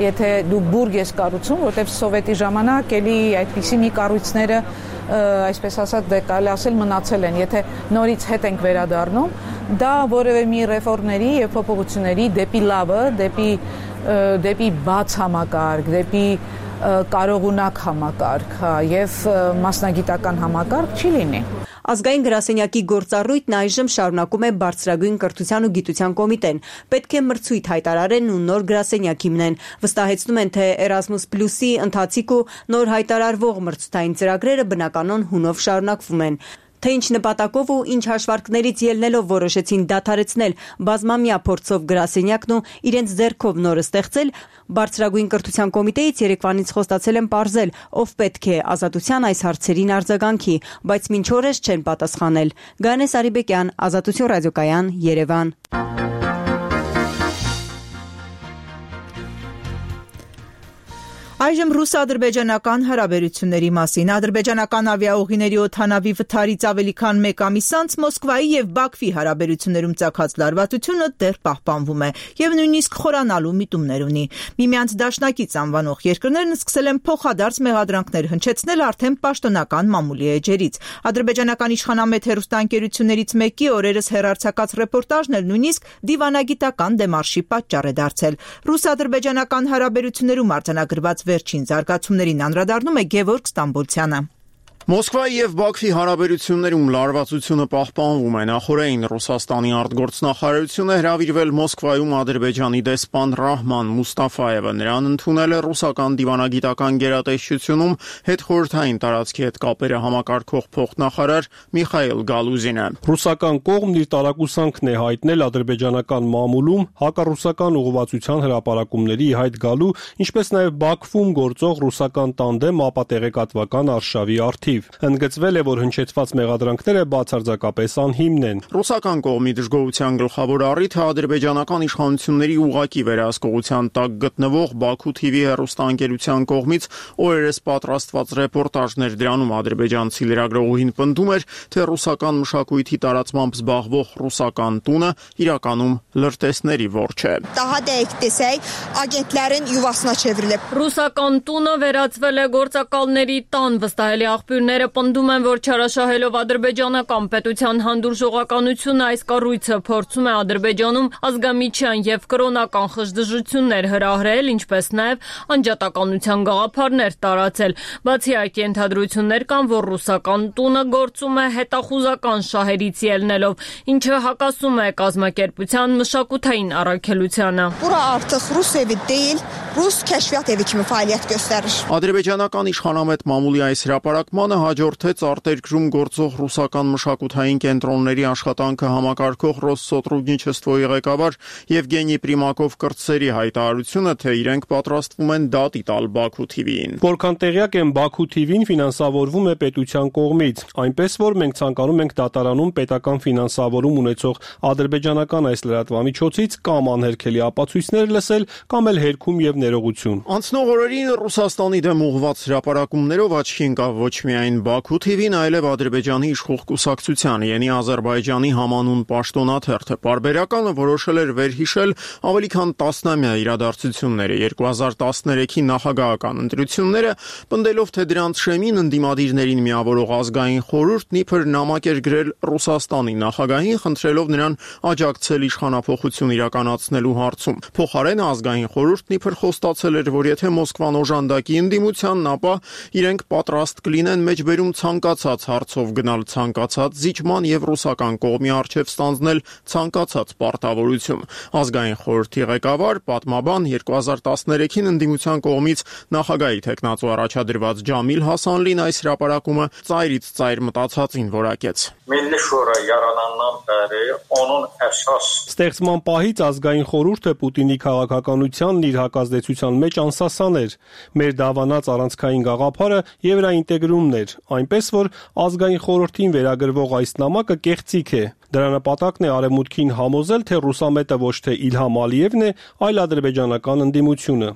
եթե դու բուրգ ես կառուցում, որտեղ սովետի ժամանակ էլի այդպիսի մի կառույցները այսպես ասած, դե կարելի ասել մնացել են, եթե նորից հետ ենք վերադառնում, դա որևէ մի ռեֆորմների եւ փոփոխությունների դեպի լավը, դեպի բաց համակարգ, դեպի կարողունակ համակարգ եւ մասնագիտական համակարգ չի լինի։ Ազգային գրասենյակի գործառույթն այժմ շարունակում է Բարձրագույն կրթության ու գիտության կոմիտեն։ Պետք է մրցույթ հայտարարեն ու նոր գրասենյակ հիմնեն։ Վստահեցնում են, թե Erasmus+-ի ընթացիկ ու նոր հայտարարվող մրցութային ծրագրերը բնականon հունով շարունակվում են։ Թե ինչ նպատակով ու ինչ հաշվարկներից ելնելով որոշեցին դադարեցնել բազմամյա փորձով գրասենյակն ու իրենց ձեռքով նորը ստեղծել, Բարձրագույն կրթության կոմիտեից երեկվանից խոստացել են պարզել, ով պետք է Ազատության այս հարցերին արձագանքի, բայց մինչ օրս չեն պատասխանել։ Գանե Սարիբեկյան, Ազատություն ռադիոկայան, Երևան։ Այժմ ռուս-ադրբեջանական հարաբերությունների մասին։ Ադրբեջանական ավիաուղիների օդանավի վթարից ավելի քան 1 ամիս անց Մոսկվայի եւ Բաքվի հարաբերություններում ծագած լարվածությունը դեռ պահպանվում է եւ նույնիսկ խորանալու միտումներ ունի։ Միմյանց դաշնակից անվանող երկրներն սկսել են փոխադարձ մեղադրանքներ հնչեցնել արդեն պաշտոնական մամուլի էջերից։ Ադրբեջանական իշխանամետ հեռուստաընկերություններից մեկի օրերս հեռարձակած ռեպորտաժն էլ նույնիսկ դիվանագիտական դեմարշի պատճառ է դարձել։ Ռուս-ադրբեջանական հարաբերություններում արձանագրված վերջին զարգացումներին անդրադառնում է Գևորգ Ստամբոլցյանը։ Մոսկվայի եւ Բաքվի հարաբերություններում լարվածությունը պահպանվում է։ Նախորդին Ռուսաստանի արտգործնախարարությունը հրավիրվել Մոսկվայում Ադրբեջանի դեսպան Ռահման Մուստաֆայևը։ Նրան ընդունել է ռուսական դիվանագիտական գերատեսչությունում հետխորհրդային տարածքի հետ կապերը համակարգող փոխնախարար Միխայել Գալուզինը։ Ռուսական կողմն իր տարակուսանքն է հայտնել ադրբեջանական մամուլում հակառուսական ուղղվածության հրապարակումների հայտ գալու, ինչպես նաեւ Բաքվում գործող ռուսական տանդեմ ապատեղեկատվական արշավի արդիվ։ Ընդգծվել է, որ հնչեցված մեղադրանքները բացարձակապես անհիմն են։ Ռուսական կողմի դժգոհության գլխավոր առիթը ադրբեջանական իշխանությունների ուղղակի վերահսկողության տակ գտնվող Բաքու TV հեռուստաընկերության կողմից օրերս պատրաստված ռեպորտաժներ։ Դրանում ադրբեջանցի լրագրողուհին պնդում էր, թե ռուսական մշակույթի տարածմամբ զբաղվող ռուսական տունը իրականում լրտեսների որջը է։ Ռուսական տունը վերածվել է գործակալների տան, վստահելի աղբյուրները պնդում են, որ չարաշահելով ադրբեջանական պետության հանդուրժողականությունը այս կառույցը փորձում է Ադրբեջանում ազգամիջյան եւ կրոնական խժդժություններ հրահրել, ինչպես նաեւ անջատականության գաղափարներ տարածել։ Բացի այդ, ենթադրություններ կան, որ ռուսական տունը գործում է հետախուզական շահերից ելնելով, ինչը հակասում է կազմակերպության մշակութային առաքելությանը։ Ադրբեջանական իշխանամետ մամուլի այս հրապարակմանը հաջորդեց արտերկրում գործող ռուսական մշակութային կենտրոնների աշխատանքը համակարգող Ռոսսոտրուդնիչեստվոյի ղեկավար Եվգենի Պրիմակով կրտսերի հայտարարությունը, թե իրենք պատրաստվում են դատի տալ Բաքու TV-ին։ Որքան տեղյակ եմ, Բաքու TV-ն ֆինանսավորվում է պետության կողմից, այնպես որ մենք ցանկանում ենք դատարանում պետական ֆինանսավորում ունեցող ադրբեջանական այս լրատվամիջոցից կամ անհերքելի ապացույցներ լսել, կամ էլ հերքում եւ ներողություն։ Անցնող օրերին Ռուսաստանի դեմ ուղղված հրապարակումներով աչքի ընկավ ոչ միայն Բաքու TV-ն, այլև Ադրբեջանի իշխող կուսակցության Յենի Ադրբեջանի համանուն պաշտոնաթերթը։ Պարբերականը որոշել էր վերհիշել ավելի քան 10-ամյա իրադարձությունները, 2013-ի նախագահական ընտրությունները, պնդելով, թե դրանց շեմին ընդդիմադիրներին միավորող ազգային խորհուրդն իբր նամակ էր գրել Ռուսաստանի նախագահին, խնդրելով նրան աջակցել իշխանափոխություն իրականացնելու հարցում։ Փոխարենը ազգային խորհուրդն իբր խոստացել էր, որ եթե Մոսկվան օժանդակի ընդդիմությանն, ապա իրենք պատրաստ կլինեն մեջբերում ցանկացած հարցով գնալ ցանկացած զիջման եւ ռուսական կողմի առջեւ ստանձնել ցանկացած պարտավորություն։ Ազգային խորհրդի ղեկավար, պատմաբան 2013-ին ընդդիմության կողմից նախագահի թեկնածու առաջադրված Ջամիլ Հասանլին այս հրապարակումը ծայրից ծայր մտածածին որակեց։ Ստեղծման պահից ազգային խորհուրդը Պուտինի քաղաքականությանն իր հակազդեցության մեջ անսասան էր։ Մեր դավանած առանցքային գաղափարը եվրաինտեգրումն էր, այնպես որ ազգային խորհրդին վերագրվող այս նամակը կեղծիք է։ Դրա նպատակն է արևմուտքին համոզել, թե ռուսամետը ոչ թե Իլհամ Ալիևն է, այլ ադրբեջանական ընդդիմությունը։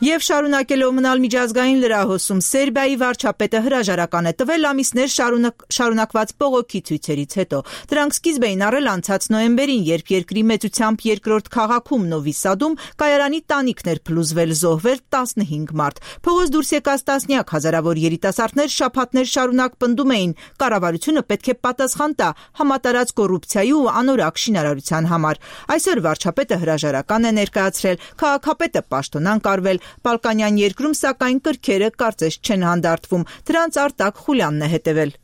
Եվ շարունակելով մնալ միջազգային լրահոսում, Սերբիայի վարչապետը հրաժարական է տվել ամիսներ շարունակված բողոքի ցույցերից հետո։ Դրանք սկիզբ էին առել անցած նոյեմբերին, երբ երկրի մեծությամբ երկրորդ քաղաքում Նովի Սադում կայարանի տանիքներ փլուզվել, զոհվել 15 մարդ։ Փողոց դուրս եկած տասնյակ հազարավոր երիտասարդներ շաբաթներ շարունակ պնդում էին, կառավարությունը պետք է պատասխան տա համատարած կոռուպցիայի ու անորակ շինարարության համար։ Այսօր վարչապետը հրաժարական է ներկայացրել, քաղաքապետը պաշտոնան կարվել, Բալկանյան երկրում սակայն կրքերը կարծես չեն հանդարտվում, դրանց արտակ Խուլյանն է հետևել։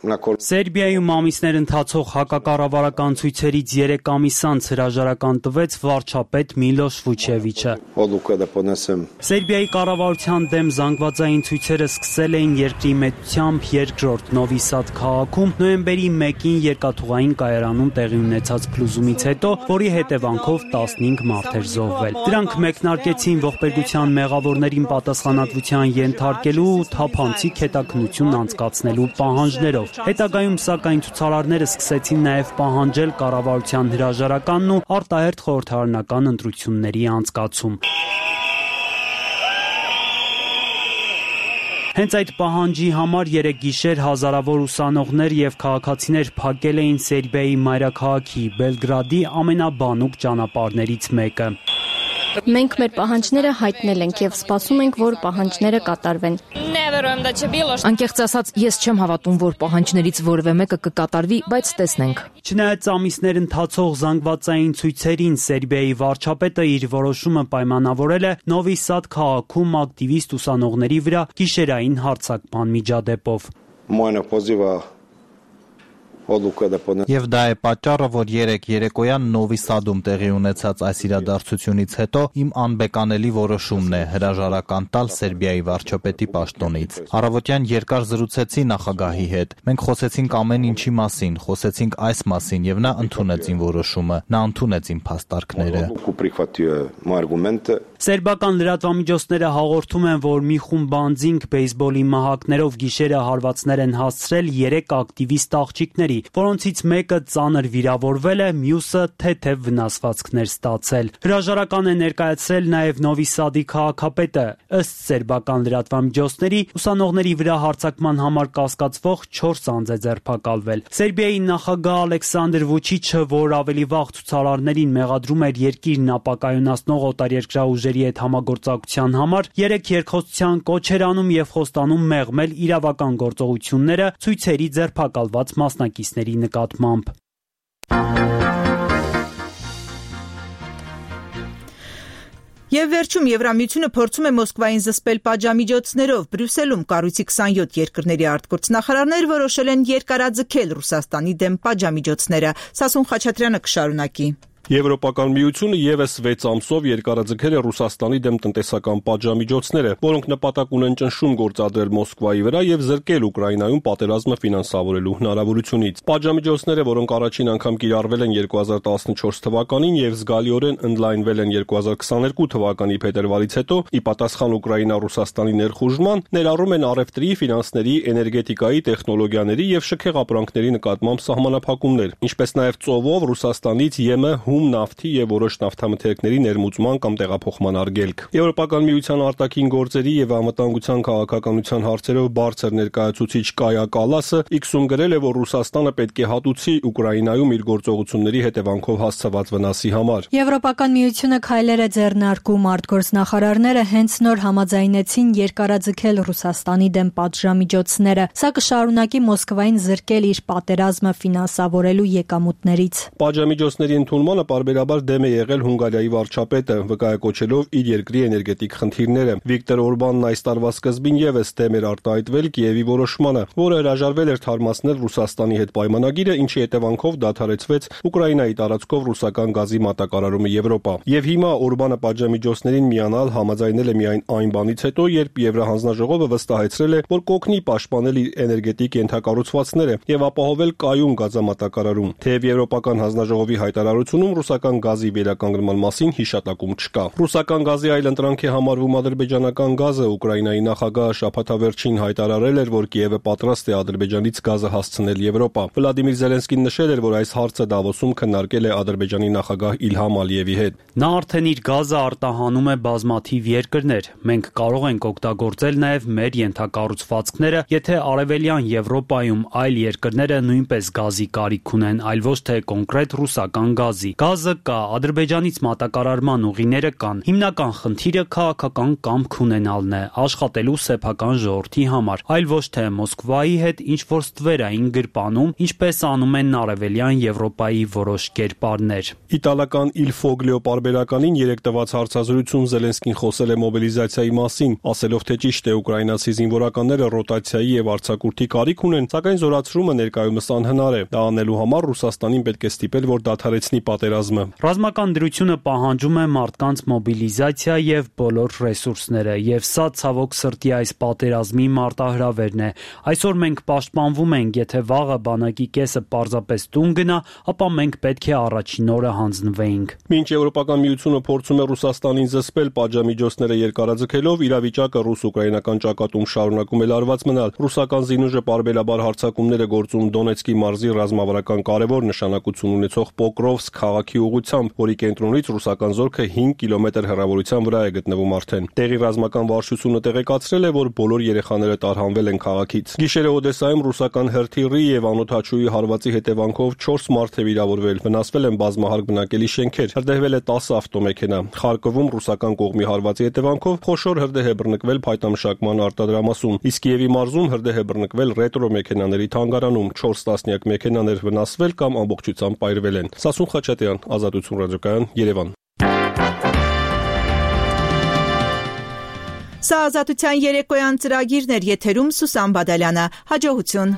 Սերբիայում ամիսներ ընթացող հակակառավարական ցույցերից 3 ամիս անց հրաժարական տվեց վարչապետ Միլոշ Վուչևիչը։ Սերբիայի կառավարության դեմ զանգվածային ցույցերը սկսել էին երկրի մեծությամբ երկրորդ Նովի Սադ քաղաքում նոյեմբերի 1-ին երկաթուղային կայարանում տեղի ունեցած փլուզումից հետո, որի հետևանքով 15 մարդ էր զոհվել։ Դրանք մեկնարկեցին ողբերգության մեղավորներին պատասխանատվության ենթարկելու ու թափանցիկ հետաքննություն անցկացնելու պահանջներով։ Հետագայում սակայն ցուցարարները սկսեցին նաև պահանջել կառավարության հրաժարականն ու արտահերթ խորհրդարանական ընտրությունների անցկացում։ Հենց այդ պահանջի համար 3 գիշեր հազարավոր ուսանողներ եւ քաղաքացիներ փակել էին Սերբիայի մայրաքաղաքի Բելգրադի ամենաբանուկ ճանապարհներից մեկը։ Մենք մեր պահանջները հայտնել ենք եւ սպասում ենք, որ պահանջները կատարվեն։ Անկեղծ ասած, ես չեմ հավատում, որ պահանջներից որևէ մեկը կկատարվի, բայց տեսնենք։ Չնայած ամիսներ ընթացող զանգվածային ցույցերին, Սերբիայի վարչապետը իր որոշումը պայմանավորել է Նովի Սադ քաղաքում ակտիվիստ ուսանողների վրա գիշերային հարձակման միջադեպով։ Եվ դա է պատճառը, որ 3 երեկոյան Նովի Սադում տեղի ունեցած այս իրադարձությունից հետո իմ անբեկանելի որոշումն է հրաժարական տալ Սերբիայի վարչապետի պաշտոնից։ Առավոտյան երկար զրուցեցի նախագահի հետ։ Մենք խոսեցինք ամեն ինչի մասին, խոսեցինք այս մասին եւ նա ընդունեց իմ որոշումը, նա ընդունեց իմ փաստարկները։ Սերբական լրատվամիջոցները հաղորդում են, որ մի խումբ անձինք բեյսբոլի մահակներով գիշերը հարվածներ են հասցրել 3 ակտիվիստ աղջիկների, որոնցից մեկը ծանր վիրավորվել է, մյուսը թեթև վնասվածքներ ստացել։ Հրաժարական է ներկայացրել նաև Նովի Սադի քաղաքապետը։ Ըստ սերբական լրատվամիջոցների, ուսանողների վրա հարձակման համար կասկածվող 4 անձ է ձերբակալվել։ Սերբիայի նախագահ Ալեքսանդր Վուչիչը, որ ավելի վաղ ցուցարարներին մեղադրում էր երկիրն ապակայունացնող օտարերկրյա ուժերի հետ համագործակցության համար, 3 երկխոսության կոչ էր անում եւ խոստանում մեղմել իրավական գործողությունները ցույցերի ձերբակալված մասնակիցների նկատմամբ։ Եվ վերջում Եվրամիությունը փորձում է Մոսկվային զսպել պատժամիջոցներով։ Բրյուսելում կառույցի 27 երկրների արտգործնախարարներ որոշել են երկարաձգել Ռուսաստանի դեմ պատժամիջոցները։ Սասուն Խաչատրյանը կշարունակի։ Եվրոպական միությունը եւս 6 ամսով երկարաձգել է Ռուսաստանի դեմ տնտեսական պատժամիջոցները, որոնք նպատակ ունեն ճնշում գործադրել Մոսկվայի վրա եւ զրկել Ուկրաինայում պատերազմը ֆինանսավորելու հնարավորությունից։ Պատժամիջոցները, որոնք առաջին անգամ կիրառվել են 2014 թվականին եւ զգալիորեն ընդլայնվել են 2022 թվականի փետրվարից հետո, ի պատասխան Ուկրաինա-Ռուսաստանի ներխուժման, ներառում են առևտրի, ֆինանսների, էներգետիկայի, տեխնոլոգիաների եւ շքեղ ապրանքների նկատմամբ սահմանափակումներ, ինչպես նաեւ ծովով Ռուսաստանից ԵՄ նավթի եւ որոշ նավթամթերքների ներմուծման կամ տեղափոխման արգելք։ Եվրոպական միության արտաքին գործերի եւ անվտանգության քաղաքականության հարցերով բարձր ներկայացուցիչ Կայա Կալասը X-ում գրել է, որ Ռուսաստանը պետք է հատուցի Ուկրաինայում իր գործողությունների հետևանքով հասցված վնասի համար։ Եվրոպական միությունը քայլեր է ձեռնարկում, արտգործնախարարները հենց նոր համաձայնեցին երկարաձգել Ռուսաստանի դեմ պատժամիջոցները, սա կշարունակի Մոսկվային զրկել իր պատերազմը ֆինանսավորելու եկամուտներից։ Պատժամիջոցների ընդունմանը պարբերաբար դեմ է եղել Հունգարիայի վարչապետը, վկայակոչելով իր երկրի էներգետիկ խնդիրները։ Վիկտոր Օրբանն այս տարվա սկզբին եւս դեմ էր արտահայտվել Կիևի որոշմանը, որը հրաժարվել էր թարմացնել Ռուսաստանի հետ պայմանագիրը, ինչի հետևանքով դադարեցվեց Ուկրաինայի տարածքով ռուսական գազի մատակարարումը Եվրոպա։ Եվ հիմա Օրբանը պատժամիջոցներին միանալ համաձայնել է միայն այն բանից հետո, երբ Եվրահանձնաժողովը վստահեցրել է, որ կօգնի պաշտպանել իր էներգետիկ ենթակառուցվածքները եւ ապահովել կայուն գազամատակարարում։ Թեև Եվրոպական հանձնաժողովի հայտարարությունում Հայաստանում ռուսական գազի վերականգնման մասին հիշատակում չկա։ Ռուսական գազի այլ ընտրանք է համարվում ադրբեջանական գազը։ Ուկրաինայի նախագահը շաբաթավերջին հայտարարել էր, որ Կիևը պատրաստ է Ադրբեջանից գազը հասցնել Եվրոպա։ Վլադիմիր Զելենսկին նշել էր, որ այս հարցը Դավոսում քննարկել է Ադրբեջանի նախագահ Իլհամ Ալիևի հետ։ Նա արդեն իր գազը արտահանում է բազմաթիվ երկրներ։ Մենք կարող ենք օգտագործել նաև մեր ենթակառուցվածքները, եթե Արևելյան Եվրոպայում այլ երկրները նույնպես գազի կարիք ունեն, այլ ոչ թե կոնկրետ ռուսական գազի։ Գազը կա, Ադրբեջանից մատակարարման ուղիները կան։ Հիմնական խնդիրը քաղաքական կամք ունենալն է, աշխատելու սեփական ժողովրդի համար, այլ ոչ թե Մոսկվայի հետ ինչ-որ ստվերային գրպանում, ինչպես անում են Արևելյան Եվրոպայի որոշ կերպարներ։ Իտալական Il Foglio պարբերականին երեկ տված հարցազրույցում Զելենսկին խոսել է մոբիլիզացիայի մասին, ասելով, թե ճիշտ է ուկրաինացի զինվորականները ռոտացիայի եւ արձակուրդի կարիք ունեն, սակայն զորացրումը ներկայումս անհնար է։ Դա անելու համար Ռուսաստանին պետք է ստիպել, որ դադարեցնի պատերազմը։ Ռազմական դրությունը պահանջում է մարդկանց մոբիլիզացիա եւ բոլոր ռեսուրսները, եւ սա ցավոք սրտի այս պատերազմի մարտահրավերն է։ Այսօր մենք պաշտպանվում ենք, եթե վաղը բանակի կեսը պարզապես տուն գնա, ապա մենք պետք է առաջին օրը հանձնվեինք։ Մինչ Եվրոպական միությունը փորձում է Ռուսաստանին զսպել պատժամիջոցները երկարաձգելով, իրավիճակը ռուս-ուկրաինական ճակատում շարունակում է լարված մնալ։ Ռուսական զինուժը պարբերաբար հարձակումներ է գործում Դոնեցկի մարզի ռազմավարական կարևոր նշանակություն ունեցող Պոկրովսկ քաղաքի ուղղությամբ, որի կենտրոնից ռուսական զորքը 5 կիլոմետր հեռավորության վրա է գտնվում արդեն։ Տեղի ռազմական վարչությունը տեղեկացրել է, որ բոլոր երեխաները տարհանվել են քաղաքից։ Գիշերը Օդեսայում ռուսական հրթիռի եւ անօդաչուի հարվածի հետևանքով 4 մարդ է վիրավորվել, վնասվել են բազմահարկ բնակելի շենքեր, հրդեհվել է 10 ավտոմեքենա։ Խարկովում ռուսական կողմի հարվածի հետևանքով խոշոր հրդեհ է բռնկվել փայտամշակման արտադրամասում, իսկ Կիևի մարզում հրդեհ է բռնկվել ռետրո մեքենաների թանգարանում, 4 տասնյակ մեքենաներ վնասվել կամ ամբողջությամբ պայրվել են։ Սասուն Խաչատյան, Ազատություն ռադիոկայան, Երևան։ Սա Ազատության երեկոյան ծրագիրն էր, եթերում Սուսան Բադալյանը։ Հաջողություն։